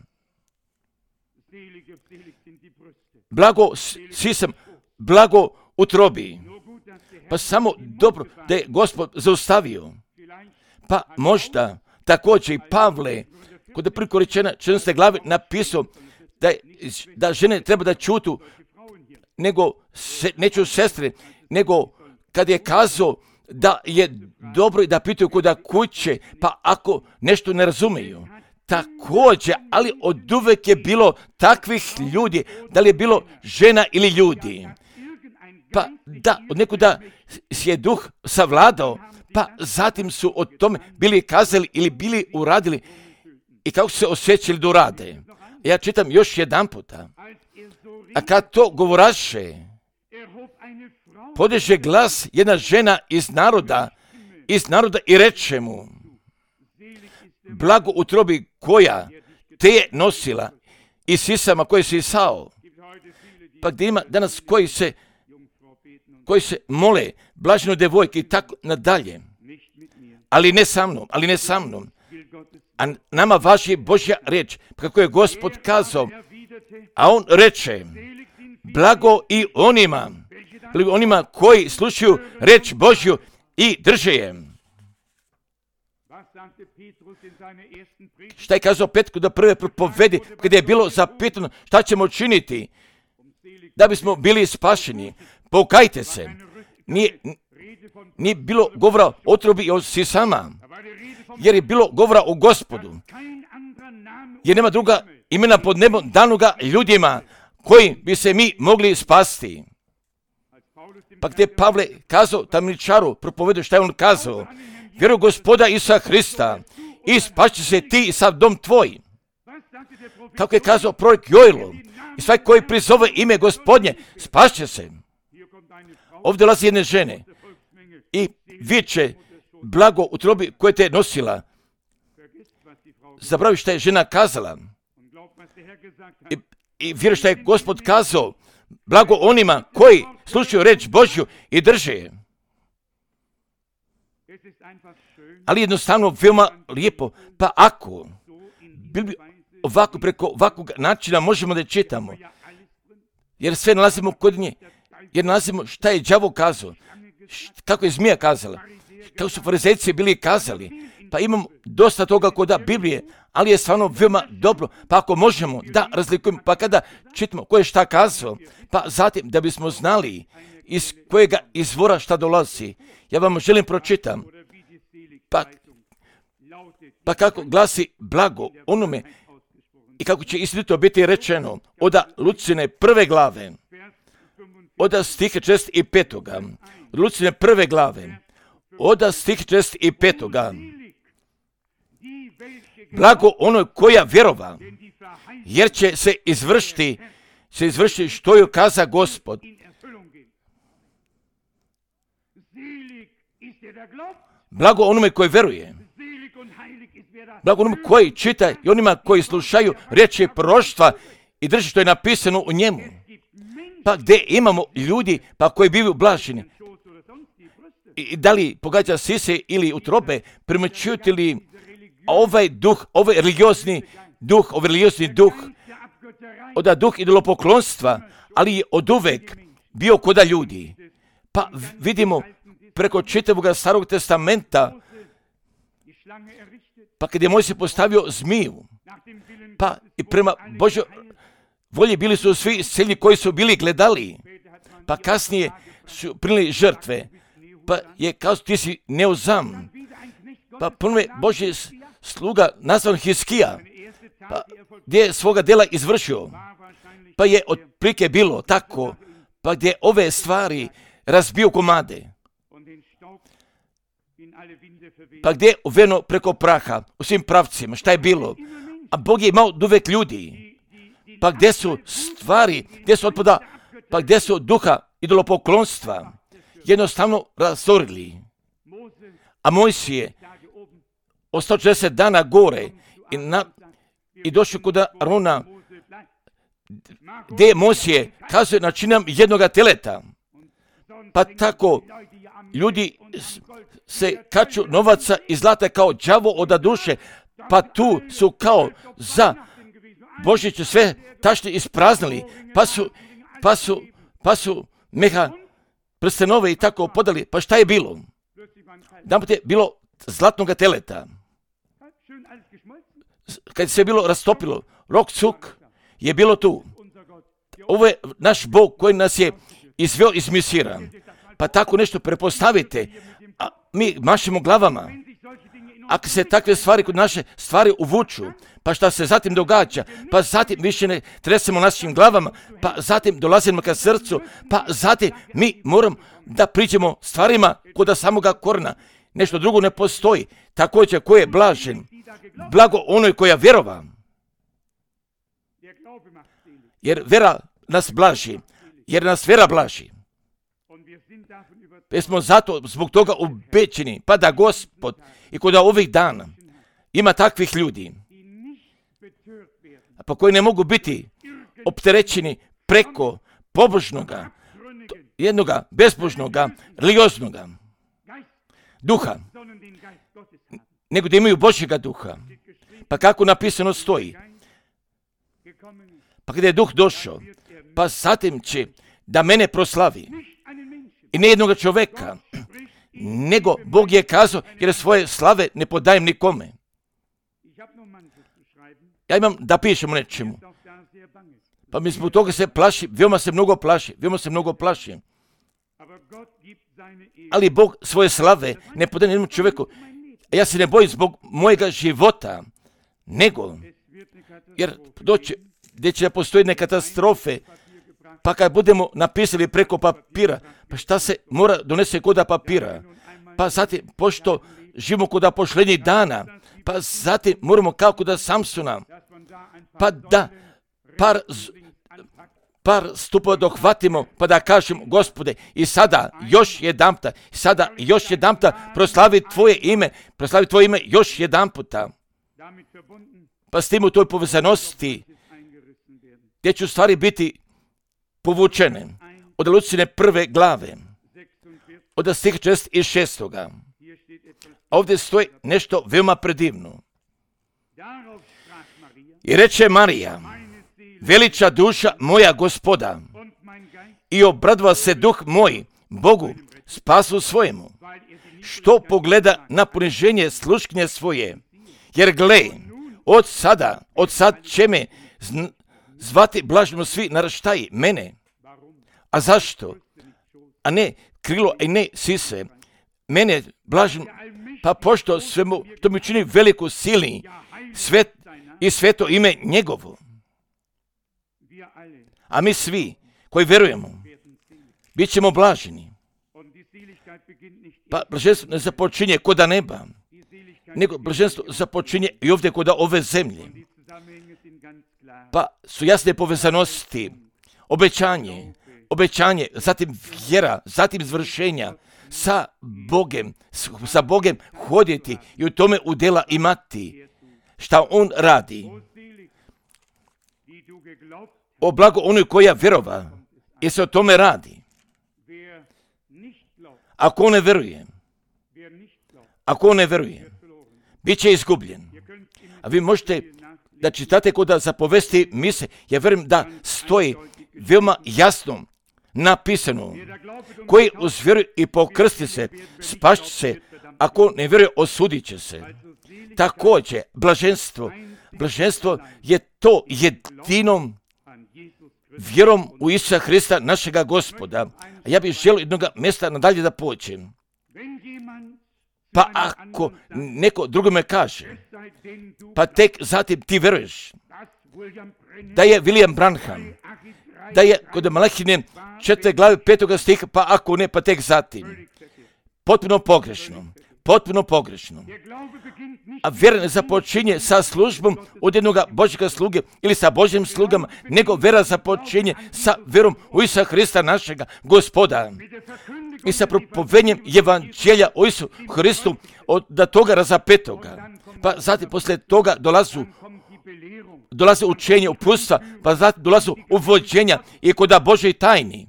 Blago sisam, blago utrobi. Pa samo dobro da je Gospod zaustavio. Pa možda također i Pavle, kod je priko rečena 14. glave napisao da žene treba da čutu, nego neću sestre, nego kad je kazao da je dobro i da pitaju kuda kuće, pa ako nešto ne razumiju. Također, ali od uvek je bilo takvih ljudi, da li je bilo žena ili ljudi. Pa da, od nekuda je duh savladao, pa zatim su o tome bili kazali ili bili uradili i kako se osjećali da urade. Ja čitam još jedan puta. A kad to govoraše, podiže glas jedna žena iz naroda i reče mu, blago utrobi koja te je nosila i sisama koje si sao. Pa gdje ima danas koji se mole, blaženo devojke i tako nadalje. Ali ne sa mnom. A nama važi Božja riječ, kako je Gospod kazao, a on reče, blago i onima koji slušaju reč Božju i drže je. Šta je kazao Petru da prve propovedi, kada je bilo zapitano šta ćemo činiti da bismo bili spašeni? Pokajte se. Nije bilo govora o otrobi i o sisama, jer je bilo govora o Gospodu. Jer nema druga imena pod nebom danoga ljudima koji bi se mi mogli spasti. Pa gdje Pavle kazao tamničaru, propovedu šta je on kazao, vjeruj Gospoda Isusa Hrista i spašće se ti i sav dom tvoj. Kako je kazao prorok Joel, i svaki koji prizove ime Gospodnje, spašće se. Ovdje dolazi jedne žene i viče, blago utrobi koje te je nosila. Zabravi šta je žena kazala. I vjeruj šta je Gospod kazao, blago onima koji slušaju reč Božju i drže je. Ali jednostavno veoma lijepo, pa ako bi ovako preko ovakvog načina možemo da čitamo, jer sve nalazimo kod nje, jer nalazimo šta je đavo kazao, kako je zmija kazala, kako su farizejci bili kazali, pa imamo dosta toga kod Biblije, ali je stvarno veoma dobro, pa ako možemo da razlikujemo, pa kada čitamo ko je šta kazao, pa zatim da bismo znali iz kojega izvora šta dolazi, ja vam želim pročitam, pa kako glasi blago onome i kako će istinito biti rečeno od Lucine 1. glave, od stiha 45. Lucine 1. glave, od stiha 45. Blago onoj koja vjerova, jer će se izvršiti što joj kaza Gospod. Blago onome koji veruje Blago onom koji čita i onima koji slušaju riječi proroštva i drži što je napisano u njemu. Pa gdje imamo ljudi pa koji bivaju blaženi. I da li pogađa sise ili utrobe, primjećujete li ovaj duh, ovaj religiozni duh, od duh idolopoklonstva, ali je od uvek bio koda ljudi. Pa vidimo preko čitavog Starog testamenta, pa kad je Mojsije postavio zmiju, pa i prema Božoj volji bili su svi selji koji su bili gledali, pa kasnije su primili žrtve, pa je kao ti si neuzam, pa ponovno Božji sluga nazvan Hiskija, pa gdje je svoga dela izvršio, pa je otprilike bilo tako, pa gdje ove stvari razbio komade, pa gdje je uveno preko praha u svim pravcima, šta je bilo, a Bog je imao uvek ljudi, pa gdje su stvari, gdje su otpada, pa gdje su duha idolopoklonstva jednostavno razorili. A Mojsije ostao 40 dana gore i došao kod Arona, gdje Mojsije kazuje načinam jednoga teleta. Pa tako ljudi se kaču novaca i zlata kao đavo od duše, pa tu su kao za Božić sve tašne ispraznili, pa su meha prstenove i tako podali. Pa šta je bilo? Jedanput je bilo zlatnoga teleta. Kad se bilo rastopilo, rok cuk je bilo tu. Ovo je naš Bog koji nas je izveo iz Misira. Pa tako nešto prepostavite, a mi mašemo glavama. Ako se takve stvari kod naše stvari uvuču, pa šta se zatim događa, pa zatim više ne tresemo našim glavama, pa zatim dolazimo ka srcu, pa zatim mi moramo da priđemo stvarima kod samoga korena. Nešto drugo ne postoji. Također ko je blažen, blago onoj koja vjerova. Jer vera nas blaži, jer nas vera blaži. Jer smo zato zbog toga ubećeni, pa da Gospod i kod ovih dana ima takvih ljudi, pa koji ne mogu biti opterećeni preko pobožnoga, jednoga bezbožnoga, religioznoga duha, nego da imaju Božjega duha. Pa kako napisano stoji? Pa kada je duh došao, pa zatim će da mene proslavi. I ne jednoga čoveka, nego Bog je kazao, jer svoje slave ne podajem nikome. Ja imam da pišem o nečemu. Pa mi zbog toga se plaši, veoma se mnogo plaši. Ali Bog svoje slave ne podaje jednom čoveku. Ja se ne bojim zbog mojega života, nego, jer doće, gdje će postoji neke katastrofe, pa kad budemo napisali preko papira, pa šta se mora donese koda papira, pa zatim, pošto živimo koda pošlednjih dana, pa zatim moramo kao koda Samsona, pa da par stupova dohvatimo, pa da kažem, Gospode, i sada još jedamta proslavi Tvoje ime još jedamputa. Pa s tim u toj povezanosti, gdje će u stvari biti povučene od Lucine prve glave, od stiha 46. Ovdje stoji nešto veoma predivno. I reče Marija, veliča duša moja Gospoda, i obradova se duh moj Bogu, spasu svojemu, što pogleda na poniženje sluškinje svoje, jer gle, od sad će me zvati blažno svi naraštaji mene. A zašto? A ne krilo, a ne sise. Mene blažno, pa pošto svemu, to mi čini veliku silni svet i sveto ime njegovo. A mi svi koji verujemo, bit ćemo blaženi. Pa blaženstvo ne započinje koda neba, nego blaženstvo započinje i ovdje koda ove zemlje. Pa su jasne povezanosti, obećanje, zatim vjera, zatim izvršenja, sa Bogem hoditi i u tome udjela imati. Šta on radi? O blago onoj koja vjerova, jer se o tome radi. Ako on ne veruje, bit će izgubljen. A vi možete da čitate kod zapovesti mise, ja vjerujem da stoji veoma jasno napisano, koji uz vjeru i pokrsti se, spašće se, ako ne vjeruje, osudit će se. Također, blaženstvo je to jedinom vjerom u Isusa Hrista, našega Gospoda. A ja bih želio jednog mjesta nadalje da počnem. Pa ako neko drugome kaže, pa tek zatim ti vjeruješ da je William Branham, da je kod Malahine 4. glave 5. stiha, pa ako ne, pa tek zatim. Potpuno pogrešno. A vjera ne započinje sa službom od jednog Božjega sluge ili sa Božjim slugama, nego vjera započinje sa vjerom u Isusa Hrista, našega Gospoda. I sa propovednjem evanđelja o Isusu Hristu od toga razapetoga. Pa zatim poslije toga dolaze učenje, uputstva, pa zatim dolaze uvođenja i kod Božje tajni.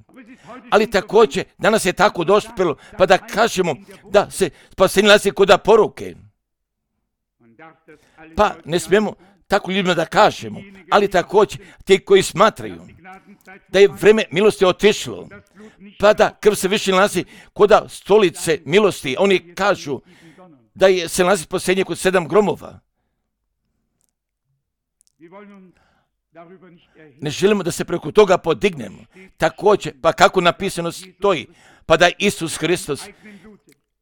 Ali također danas je tako dospjelo, pa da kažemo da se spasenje nalazi kod poruke. Pa ne smijemo tako ljudima da kažemo, ali također ti koji smatraju da je vrijeme milosti otišlo, pa da krv se više nalazi kod stolice milosti. Oni kažu da se nalazi spasenje kod 7 gromova. Ne želimo da se preko toga podignemo. Također, pa kako napisano stoji, pa da je Isus Hristos,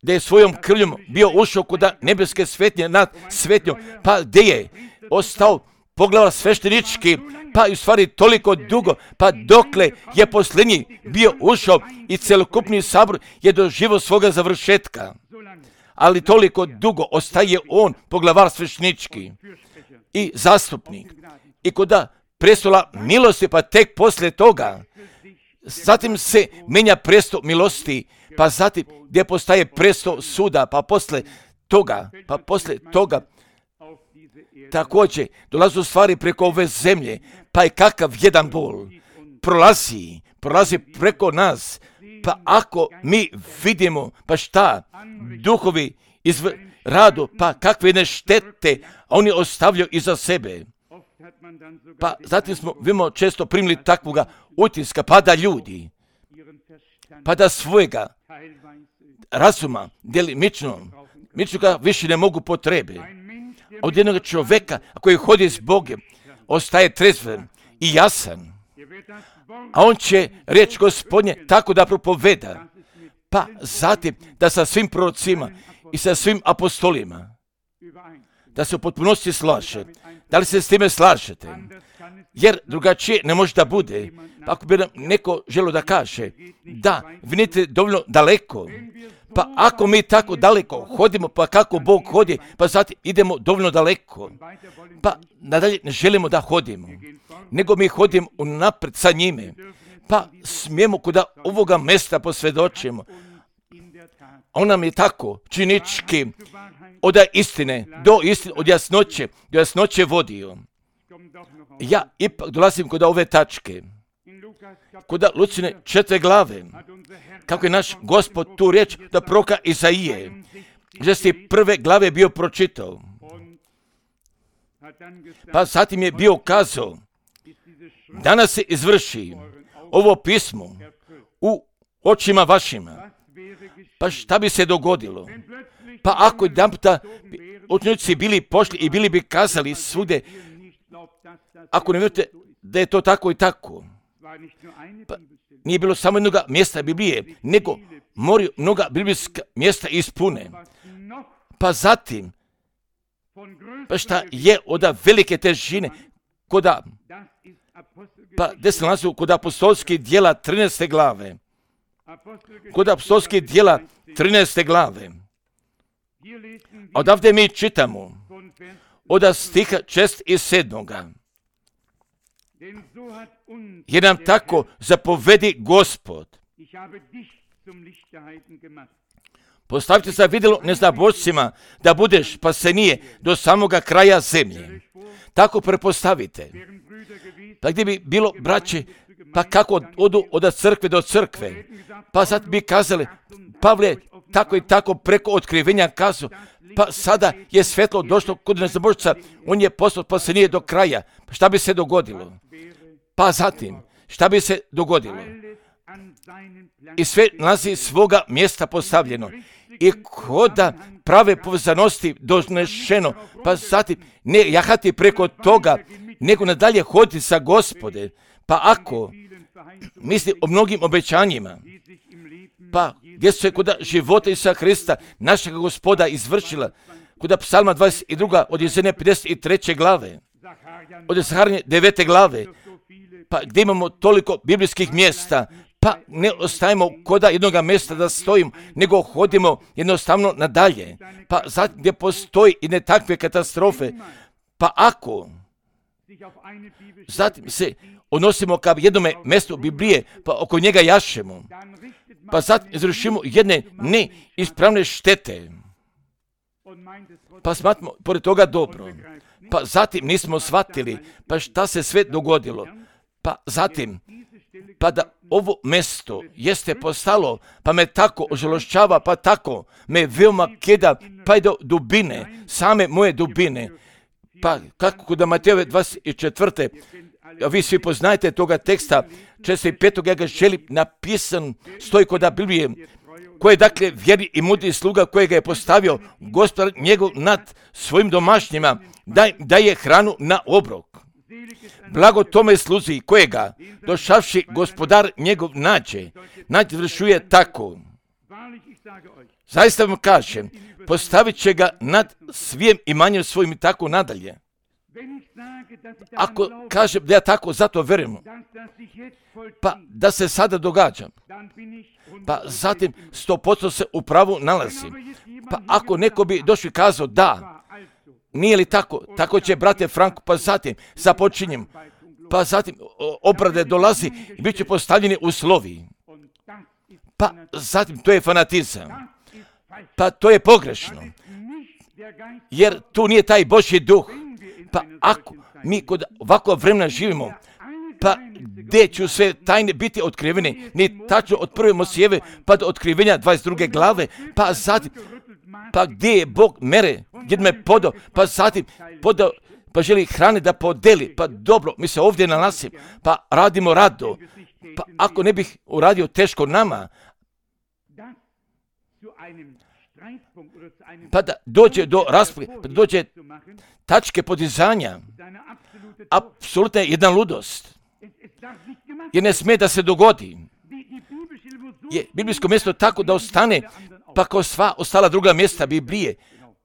da je svojom krvljom bio ušao kod nebeske svetnje nad svetnjom, pa gdje je ostao poglavar sveštenički, pa u stvari toliko dugo, pa dokle je posljednji bio ušao i celokupni sabor je doživio svoga završetka. Ali toliko dugo ostaje on poglavar sveštenički i zastupnik. I kod prestola milosti, pa tek poslije toga, zatim se menja prestol milosti, pa zatim gdje postaje prestol suda, pa poslije toga, također dolazu stvari preko ove zemlje, pa je kakav jedan bol prolazi preko nas, pa ako mi vidimo, pa šta, duhovi radu, pa kakve ne štete oni ostavljaju iza sebe. Pa zatim smo često primili takvoga utiska, pa da ljudi, pa da svojega razuma djelimično ga više ne mogu potrebe. Od jednog čovjeka koji hodi s Bogom ostaje trezven i jasan, a on će riječ Gospodnje tako da propoveda, pa zatim da sa svim prorocima i sa svim apostolima da se u potpunosti slaže. Da li se s time slažete? Jer drugačije ne može da bude. Pa ako bi nam neko želio da kaže da vidite dovoljno daleko, pa ako mi tako daleko hodimo, pa kako Bog hodi, pa zatim idemo dovoljno daleko, pa nadalje ne želimo da hodimo, nego mi hodimo unapred sa njime, pa smijemo kod ovoga mjesta posvjedočimo. On nam je tako činički od istine do istine, od jasnoće do jasnoće vodio. Ja ipak dolazim kod ove tačke, kod Lucine 4. glave, kako je naš Gospod tu riječ da proroka Izaije, gdje si 1. glave bio pročitao. Pa zatim je bio kazao, danas se izvrši ovo pismo u očima vašima. Pa šta bi se dogodilo? Pa ako jedanputa učenici bili pošli i bili bi kazali svugdje, ako ne vjerujete da je to tako i tako, pa nije bilo samo jednog mjesta Biblije, nego moraju mnoga biblijska mjesta ispune. Pa zatim, pa šta je od velike težine, pa gdje se nalazi kod apostolskih djela 13. glave, kod apostolskih djela 13. glave, odavde mi čitamo od stiha 6 i 7. Jer nam tako zapovedi Gospod. Postavite se vidjelo neznabošcima da budeš spasenije do samoga kraja zemlje. Tako prepostavite. Pa gdje bi bilo braće, pa kako odu od crkve do crkve, pa sad bi kazali, Pavle tako i tako preko otkrivenja kazao, pa sada je svetlo došlo kod neznabošca, on je postao spasenije do kraja. Pa šta bi se dogodilo? Pa zatim, šta bi se dogodilo? I sve nalazi svoga mjesta postavljeno. I koda prave povezanosti donešeno, pa zatim ne jahati preko toga, nego nadalje hoditi sa Gospode. Pa ako misli o mnogim obećanjima, pa gdje su se kod života Isusa Hrista, našega Gospoda, izvršila, kod Psalma 22. od Jesenje 53. glave, od Zaharanje 9. glave, pa gdje imamo toliko biblijskih mjesta, pa ne ostajemo koda jednoga mjesta da stojimo, nego hodimo jednostavno nadalje. Pa zatim gdje postoji i ne takve katastrofe, pa ako zatim se odnosimo ka jednome mjestu Biblije, pa oko njega jašemo, pa zatim izvršimo jedne neispravne štete, pa smatramo pored toga dobro, pa zatim nismo shvatili, pa šta se sve dogodilo, pa zatim, pa da ovo mjesto jeste postalo, pa me tako ožalošćava, pa tako me veoma kida, pa i do dubine, same moje dubine, pa kako kod Matejove 24. A vi svi poznajete toga teksta, 45. ja ga želim napisan, stoji kod Biblije, koji je dakle vjeri i mudri sluga kojega je postavio Gospodar njegov nad svojim domašnjima, daje hranu na obrok. Blago tome sluzi kojega, došavši Gospodar njegov nađe vršuje tako. Zaista vam kažem, postavit će ga nad svijem imanjem svojim i tako nadalje. Ako kažem da ja tako zato verujem, pa da se sada događa, pa zatim 100% se u pravu nalazim. Pa ako neko bi došli kazao da, nije li tako, tako će brate Franko, pa zatim započinjem, pa zatim obrade dolazi i bit će postavljeni uslovi. Pa zatim to je fanatizam, pa to je pogrešno, jer tu nije taj Božji duh. Pa ako mi kod ovakvog vremena živimo, pa gdje ću sve tajne biti otkrivene, ni tačno od prve Mosijeve pa do otkrivenja 22. glave, pa zatim, pa gdje je Bog mere, gdje me podao, pa zatim podao, pa želi hrane da podeli, pa dobro, mi se ovdje nalazimo, pa radimo rado, pa ako ne bih uradio teško nama, pa da dođe do rasprave, pa da dođe tačke podizanja, apsolutno je jedna ludost, jer ne smije da se dogodi. Je biblijsko mjesto tako da ostane, pa kao sva ostala druga mjesta Biblije,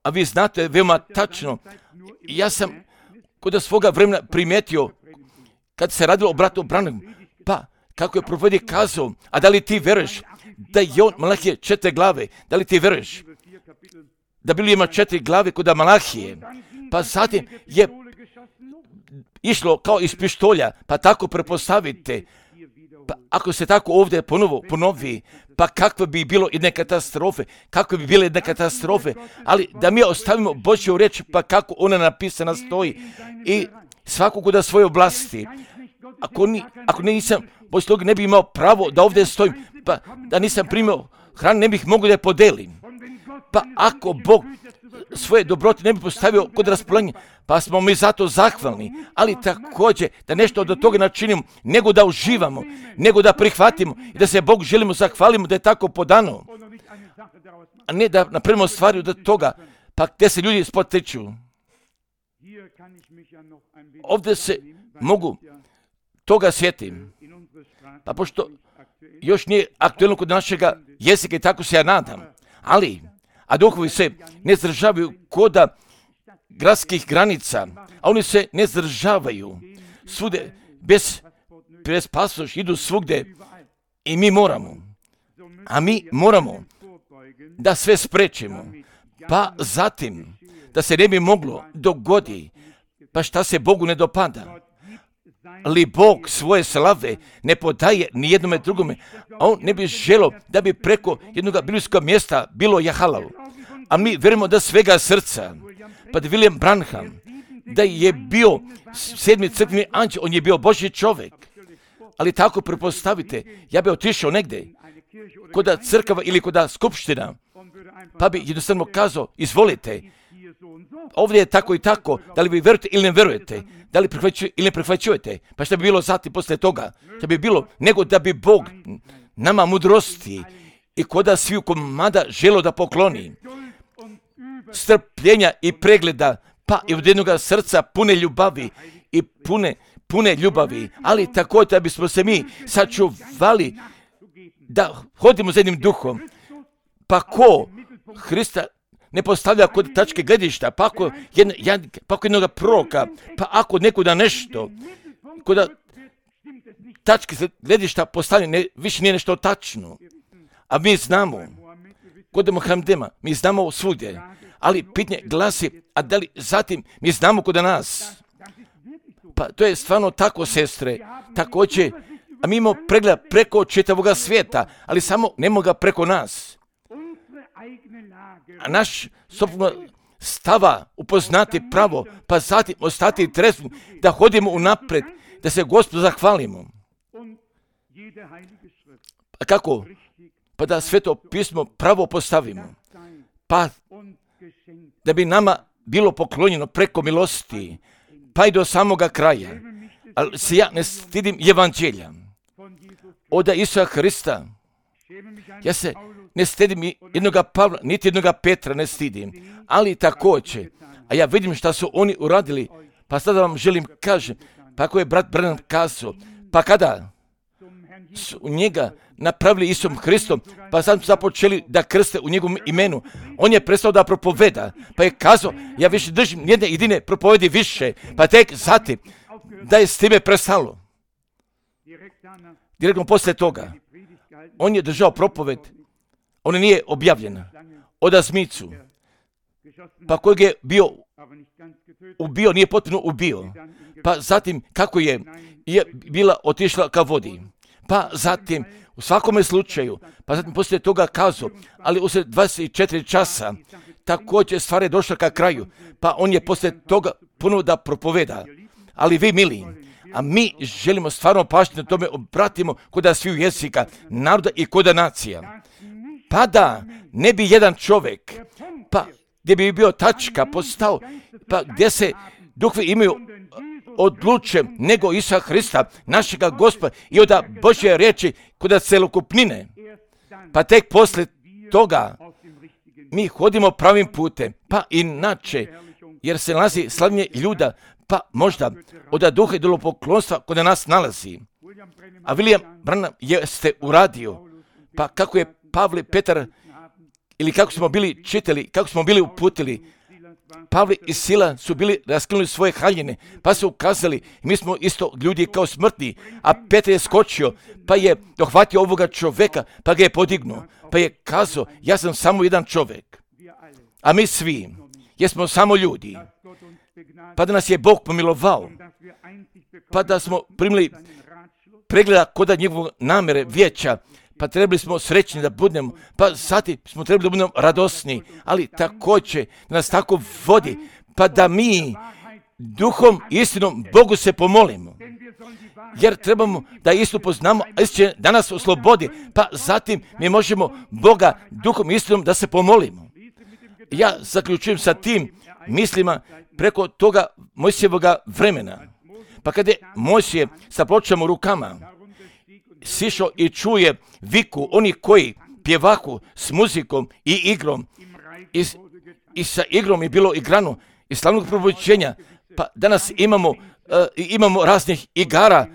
a vi znate veoma tačno, ja sam kod svoga vremena primijetio, kad se radilo o bratu Branhamu, pa kako je propovjednik kazao, a da li ti veruješ da je on Malahije 4 glave, da li ti veruješ da Biblija ima 4 glave kod Malahije, pa zatim je išlo kao iz pištolja, pa tako prepostavite, pa ako se tako ovdje ponovi, pa kakve bi bilo jedne katastrofe, kakve bi bile jedne katastrofe, ali da mi ostavimo Božju riječ, pa kako ona napisana stoji i svakog da svoje oblasti. Ako nisam Božji sluga, ne bi imao pravo da ovdje stojim, pa da nisam primio hranu, ne bih mogao da je podelim. Pa ako Bog svoje dobrote ne bi postavio kod raspolaganja, pa smo mi zato zahvalni, ali također da nešto od toga načinimo, nego da uživamo, nego da prihvatimo i da se Bogu želimo zahvalimo da je tako podano, a ne da napravimo stvari od toga, pa gdje se ljudi spotiču. Ovdje se mogu toga sjetim, pa pošto još nije aktuelno kod našega jezika i tako se ja nadam, a duhovi se ne zdržavaju koda gradskih granica, a oni se ne zdržavaju svude bez pasoša, idu svugde i mi moramo da sve sprečimo, pa zatim da se ne bi moglo dogodi, pa šta se Bogu ne dopada. ali Bog svoje slave ne podaje ni jednome drugome, a on ne bi želio da bi preko jednog biblijskog mjesta bilo jahalal. A mi vjerujemo da svega srca, pa da William Branham, da je bio 7. crkveni anđel, on je bio Božji čovjek. Ali tako prepostavite, ja bi otišao negdje, koda crkava ili koda skupština, pa bi jednostavno kazao, izvolite, ovdje je tako i tako, da li vi vjerujete ili ne vjerujete, da li prihvaćujete ili ne prihvaćujete, pa šta bi bilo zatim poslije toga? Šta bi bilo, nego da bi Bog nama mudrosti i koda sviju komada želo da pokloni, strpljenja i pregleda, pa i od jednoga srca pune ljubavi i pune ljubavi, ali tako da bismo se mi sačuvali da hodimo za jednim duhom. Pa ko Hrista ne postavlja kod tačke gledišta, pa ako jednog proroka, pa ako nekuda nešto, kod tačke gledišta postavlja, više nije nešto tačno. A mi znamo, kod Muhamedema, mi znamo svugdje, ali pitanje glasi, a da li zatim mi znamo kod nas? Pa to je stvarno tako, sestre, također, a mi imamo pregled preko čitavoga svijeta, ali samo ne moga preko nas. A naš sobno stava upoznati pravo, pa zatim ostati trezveni, da hodimo unapred, da se Gospodu zahvalimo. A kako? Pa da Sveto pismo pravo postavimo. Pa da bi nama bilo poklonjeno preko milosti, pa i do samoga kraja. Ali se ja ne stidim evanđelja od Isusa Hrista. Ja se ne stidim jednoga Pavla, niti jednoga Petra ne stidim, ali također, a ja vidim šta su oni uradili, pa sada vam želim kažem, pa ako je brat Branham kazao, pa kada su njega napravili Isusom Hristom, pa sad su započeli da krste u njegovom imenu, on je prestao da propoveda, pa je kazao, ja više držim jedne jedine propovedi više, pa tek zatim da je s time prestalo. Direktno poslije toga, on je držao propoved, on nije objavljena, od Azmicu, pa kojeg je ubio, nije potpuno ubio, pa zatim kako je bila otišla ka vodi, pa zatim u svakome slučaju, pa zatim poslije toga kazao, ali usred 24 časa također stvar je došla ka kraju, pa on je poslije toga puno da propoveda. Ali vi, mili, a mi želimo stvarno pažnju na tome obratimo koda sviju jezika, naroda i koda nacija. Pa da ne bi jedan čovjek, pa gdje bi bio tačka postao, pa gdje se duhovi imaju odluče nego Isusa Hrista, našega Gospoda i od Božje riječi koda celokupnine. Pa tek poslije toga mi hodimo pravim putem, pa inače, jer se nalazi slavljenje ljuda, pa možda od duha i idolopoklonstva kod nas nalazi. A William Branham jeste uradio, pa kako je Pavle, Petar, ili kako smo bili čitali, kako smo bili uputili, Pavle i Sila su bili raskinuli svoje haljine, pa su ukazali, mi smo isto ljudi kao smrtni, a Petar je skočio, pa je dohvatio ovoga čovjeka, pa ga je podignuo, pa je kazao, ja sam samo jedan čovjek, a mi svi jesmo samo ljudi, pa da nas je Bog pomilovao, pa da smo primili pregleda koda njegovog namere vijeća, pa trebali smo srećni da budemo, pa zatim smo trebali da budemo radosni, ali također da nas tako vodi, pa da mi duhom i istinom Bogu se pomolimo. Jer trebamo da istu poznamo, a istina da nas oslobodi, pa zatim mi možemo Boga duhom i istinom da se pomolimo. Ja zaključujem sa tim mislima preko toga Mojsijevoga vremena. Pa kada je Mojsije sa pločama u rukama sišao i čuje viku oni koji pjevaku s muzikom i igrom i sa igrom je bilo igrano i slavnog probuđenja, pa danas imamo raznih igara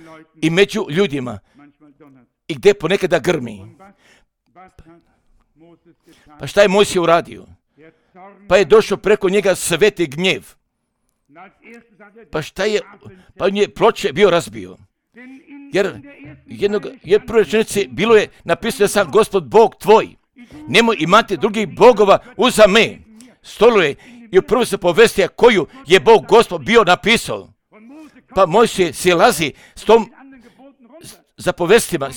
i među ljudima i gdje ponekada grmi. Pa šta je Mojsije uradio? Pa je došao preko njega sveti gnjev. Pa šta je, pa on je ploče bio razbio. Jer prve rečenice bilo je napisano da sam Gospod Bog tvoj. Nemoj imati drugih bogova uza me. Stoluje i u prvoj se povestija koju je Bog Gospod bio napisao. Pa Mojsije silazi s tom zapovestima,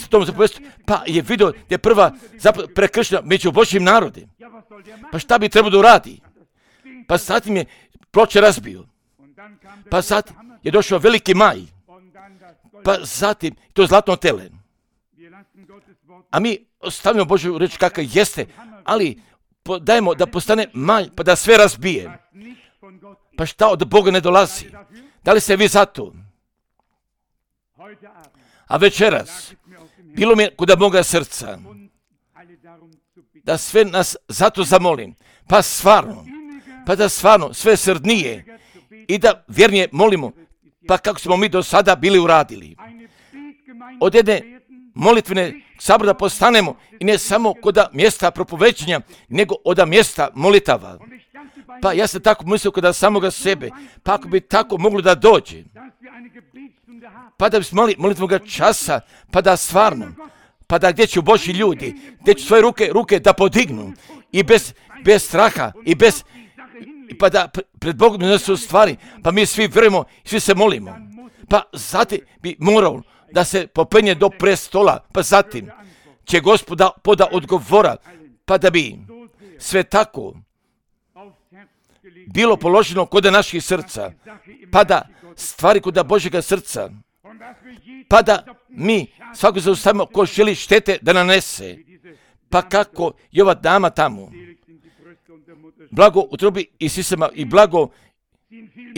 pa je vidio da je prva prekršena među Božjim narodima. Pa šta bi trebao da uradi? Pa zatim je ploče razbio. Pa zatim je došao veliki maj. Pa zatim to zlatno tele. A mi ostavimo Božju reč kakva jeste, ali dajemo da postane maj, pa da sve razbije. Pa šta od Boga ne dolazi? Da li ste vi za to? A večeras, bilo mi je kod moga srca, da sve nas zato zamolim, pa da stvarno sve srdnije i da vjernije molimo, pa kako smo mi do sada bili uradili. Od jedne molitvene sabora da postanemo i ne samo kod mjesta propovećenja, nego od mjesta molitava. Pa ja sam tako mislio kod samoga sebe, pa ako bi tako moglo da dođe, pa da bismo imali molitvoga časa, pa da stvarno, pa da gdje će Božji ljudi, gdje će svoje ruke da podignu i bez straha i pa da pred Bogom ne su stvari, pa mi svi vjerujemo, svi se molimo. Pa zatim bi morao da se popenje do prestola, pa zatim će Gospoda poda odgovora, pa da bi sve tako bilo položeno kod naših srca, pa da stvari kod Božjega srca, pa da mi svako zaustavimo ko želi štete da nanese, pa kako je ova dama tamo, blago utrobi i sisama i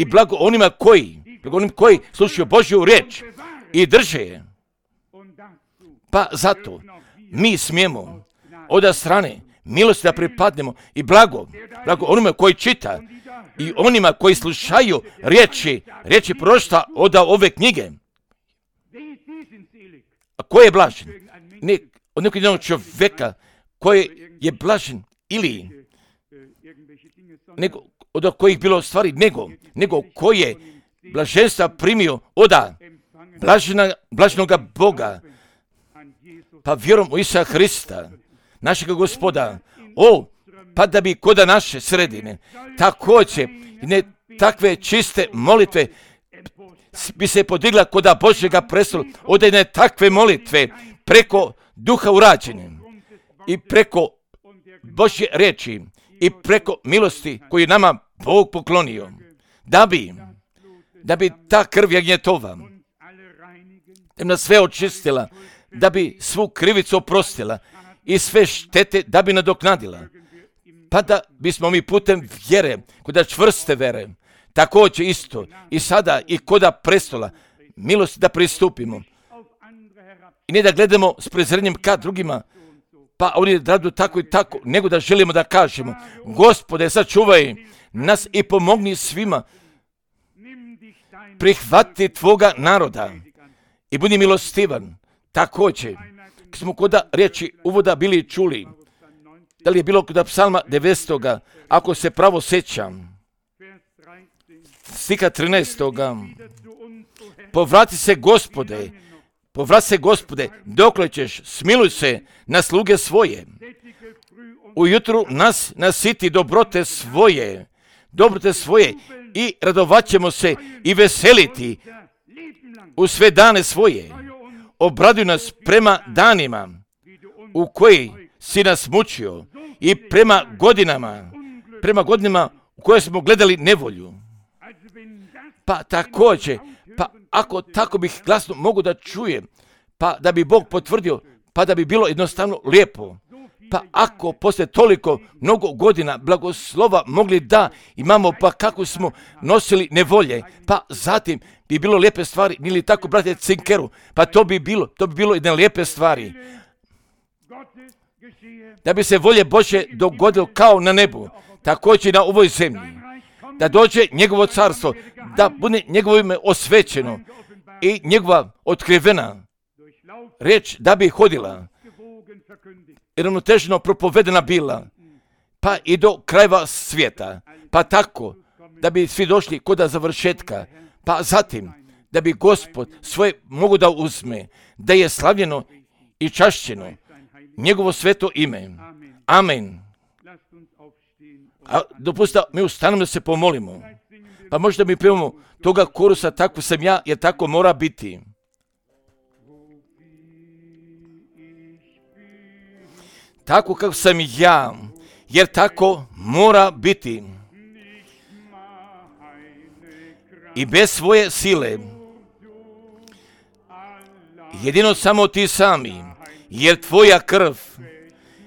blago onima koji slušaju Božju riječ i drže je. Pa zato mi smijemo od strane milosti da pripadnemo i blago onima koji čita i onima koji slušaju riječi proroštva od ove knjige. A ko je blažen? Ne od nekog jednog čovjeka koji je blažen ili nego od kojih bilo stvari, nego koji je blaženstva primio od blaženoga Boga, pa vjerom u Isusa Hrista, našega Gospoda, pa da bi kod naše sredine također ne takve čiste molitve bi se podigla kod Božjega prestola, od jedne takve molitve preko duha urađene i preko Božje riječi i preko milosti koju nama Bog poklonio, da bi ta krv jagnjetova da nas sve očistila, da bi svu krivicu oprostila i sve štete da bi nadoknadila, pa da bismo mi putem vjere, kod čvrste vjere, također isto i sada i kod prestola milosti da pristupimo i ne da gledamo s prezrenjem ka drugima, pa oni radu tako i tako, nego da želimo da kažemo: Gospode, sačuvaj nas i pomogni svima, prihvati tvoga naroda i budi milostivan. Također, kad smo kod riječi uvoda bili čuli, da li je bilo kod psalma 90. ako se pravo sjećam, stiha 13. Povrati se Gospode, dokle ćeš, smiluj se na sluge svoje. Ujutru nas nasiti dobrote svoje i radovat ćemo se i veseliti u sve dane svoje. Obraduj nas prema danima u koji si nas mučio i prema godinama u koje smo gledali nevolju. Pa također, pa ako tako bih glasno mogu da čujem, pa da bi Bog potvrdio, pa da bi bilo jednostavno lijepo. Pa ako poslije toliko mnogo godina blagoslova mogli da imamo, pa kako smo nosili nevolje, pa zatim bi bilo lijepe stvari, ili tako, brate Cinkeru, pa to bi bilo jedne lijepe stvari. Da bi se volje Božje dogodilo kao na nebu, također na ovoj zemlji. Da dođe njegovo carstvo, da bude njegovo ime osvećeno i njegova otkrivena riječ da bi hodila i ravnotežno propovedena bila, pa i do krajeva svijeta, pa tako da bi svi došli kod završetka, pa zatim da bi Gospod svoje mogu da uzme, da je slavljeno i čašćeno njegovo sveto ime. Amen. A dopustite, mi ustanemo da se pomolimo. Pa možda mi pevamo toga korusa, tako sam ja, jer tako mora biti. Tako kako sam ja, jer tako mora biti. I bez svoje sile, jedino samo ti sami, jer tvoja krv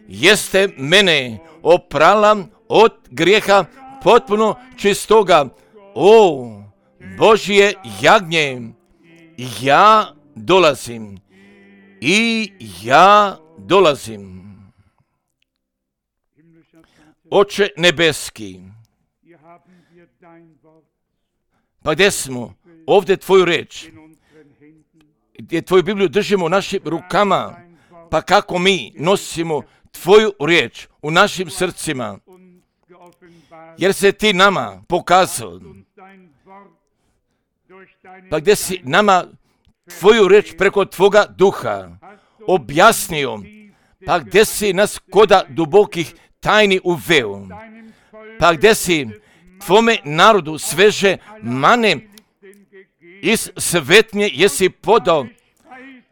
jeste mene oprala od grijeha potpuno čistoga. O Božje jagnje, ja dolazim i ja dolazim. Oče nebeski, pa gdje smo? Ovdje tvoju reč, gdje tvoju Bibliju držimo u našim rukama, pa kako mi nosimo tvoju riječ u našim srcima, jer se ti nama pokazao, pa gdje si nama tvoju riječ preko tvoga duha objasnio, pa gdje si nas koda dubokih tajni uveo, pa gdje si tvome narodu sveže mane iz svetnje jesi podao,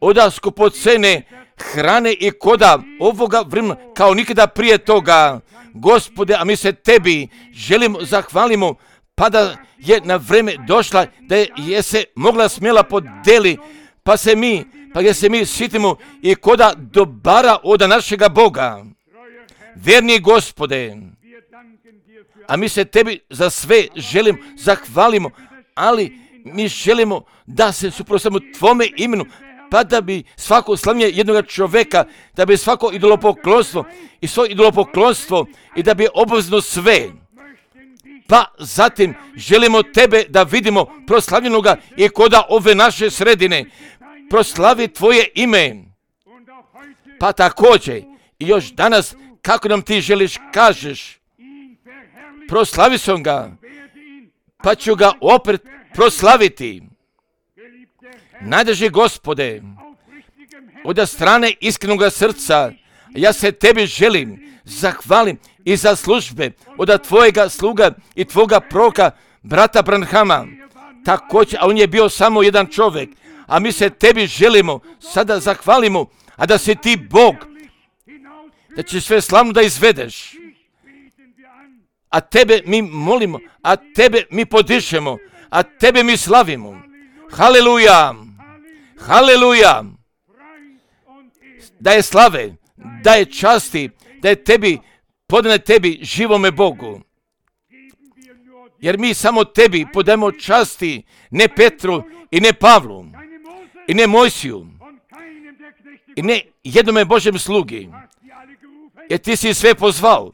oda skupocene hrane i koda ovoga vremena kao nikada prije toga. Gospode, a mi se tebi želimo, zahvalimo, pa da je na vreme došla, da je se mogla smjela podeli, pa gdje se mi sitimo i koda dobara od našega Boga. Verni Gospode, a mi se tebi za sve želimo, zahvalimo, ali mi želimo da se suprotstavimo tvome imenu, pa da bi svako slavljenje jednog čovjeka, da bi svako idolopoklonstvo i svoje idolopoklonstvo i da bi obavezno sve. Pa zatim želimo tebe da vidimo proslavljenoga i koda ove naše sredine. Proslavi tvoje ime. Pa također i još danas kako nam ti želiš kažeš, proslavi sam ga, pa ću ga opet proslaviti. Najdraži Gospode, od strane iskrenoga srca, ja se tebi želim, zahvalim i za službe od tvojega sluga i tvoga proroka, brata Branhama. Također, a on je bio samo jedan čovjek, a mi se tebi želimo, sada zahvalimo, a da si ti Bog, da će sve slavno da izvedeš. A tebe mi molimo, a tebe mi podišemo, a tebe mi slavimo. Haleluja! Haleluja! Da je slave, da je časti, da je tebi, podane tebi, živome Bogu. Jer mi samo tebi podajemo časti, ne Petru i ne Pavlu, i ne Mojsiju, i ne jednome Božjem slugi. Jer ti si sve pozvao.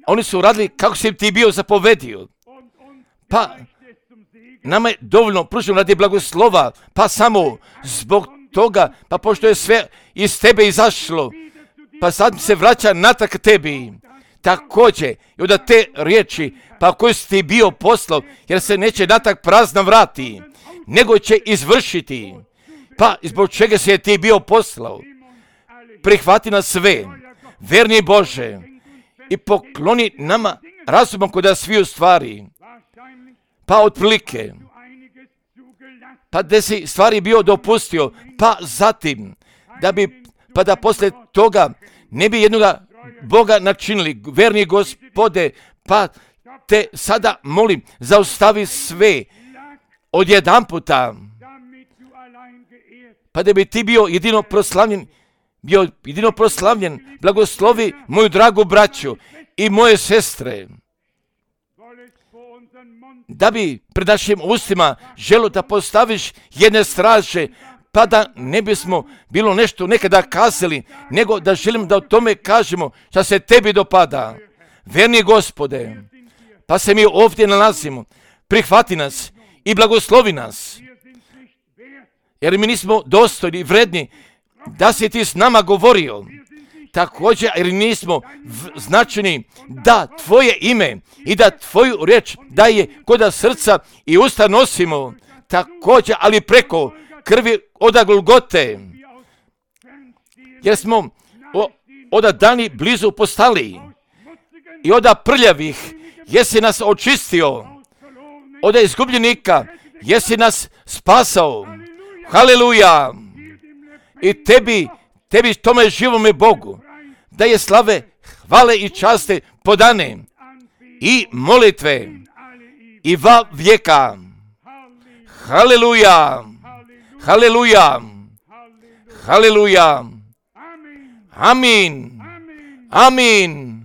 Oni su radili kako si ti bio zapovedio. Pa nama je dovoljno pruženo radi blagoslova, pa samo zbog toga, pa pošto je sve iz tebe izašlo, pa sad se vraća natrag tebi. Također, i od te riječi, pa koju si ti bio poslao, jer se neće natrag prazna vrati, nego će izvršiti. Pa zbog čega si je ti bio poslao? Prihvati nas sve, verni Bože, i pokloni nama razumom kod sviju stvari. Pa otprilike, pa da si stvari bio dopustio, pa zatim, pa da poslije toga ne bi jednoga Boga načinili, verni Gospode, pa te sada molim, zaustavi sve odjedanputa, pa da bi ti bio jedino proslavljen, blagoslovi moju dragu braću i moje sestre, da bi pred našim ustima želo da postaviš jedne straže, pa da ne bismo bilo nešto nekada kazali, nego da želim da o tome kažemo što se tebi dopada. Verni Gospode, pa se mi ovdje nalazimo, prihvati nas i blagoslovi nas, jer mi nismo dostojni i vredni da si ti s nama govorio. Također, jer nismo značajni da tvoje ime i da tvoju riječ da je koda srca i usta nosimo. Također, ali preko krvi od Golgote, jer smo od dani blizu postali, i od prljavih jesi nas očistio, od izgubljenika jesi nas spasao. Haleluja! I tebi tome živome Bogu, da je slave, hvale i časte podane i molitve i va vijeka. Haleluja! Haleluja! Haleluja! Amin! Amin!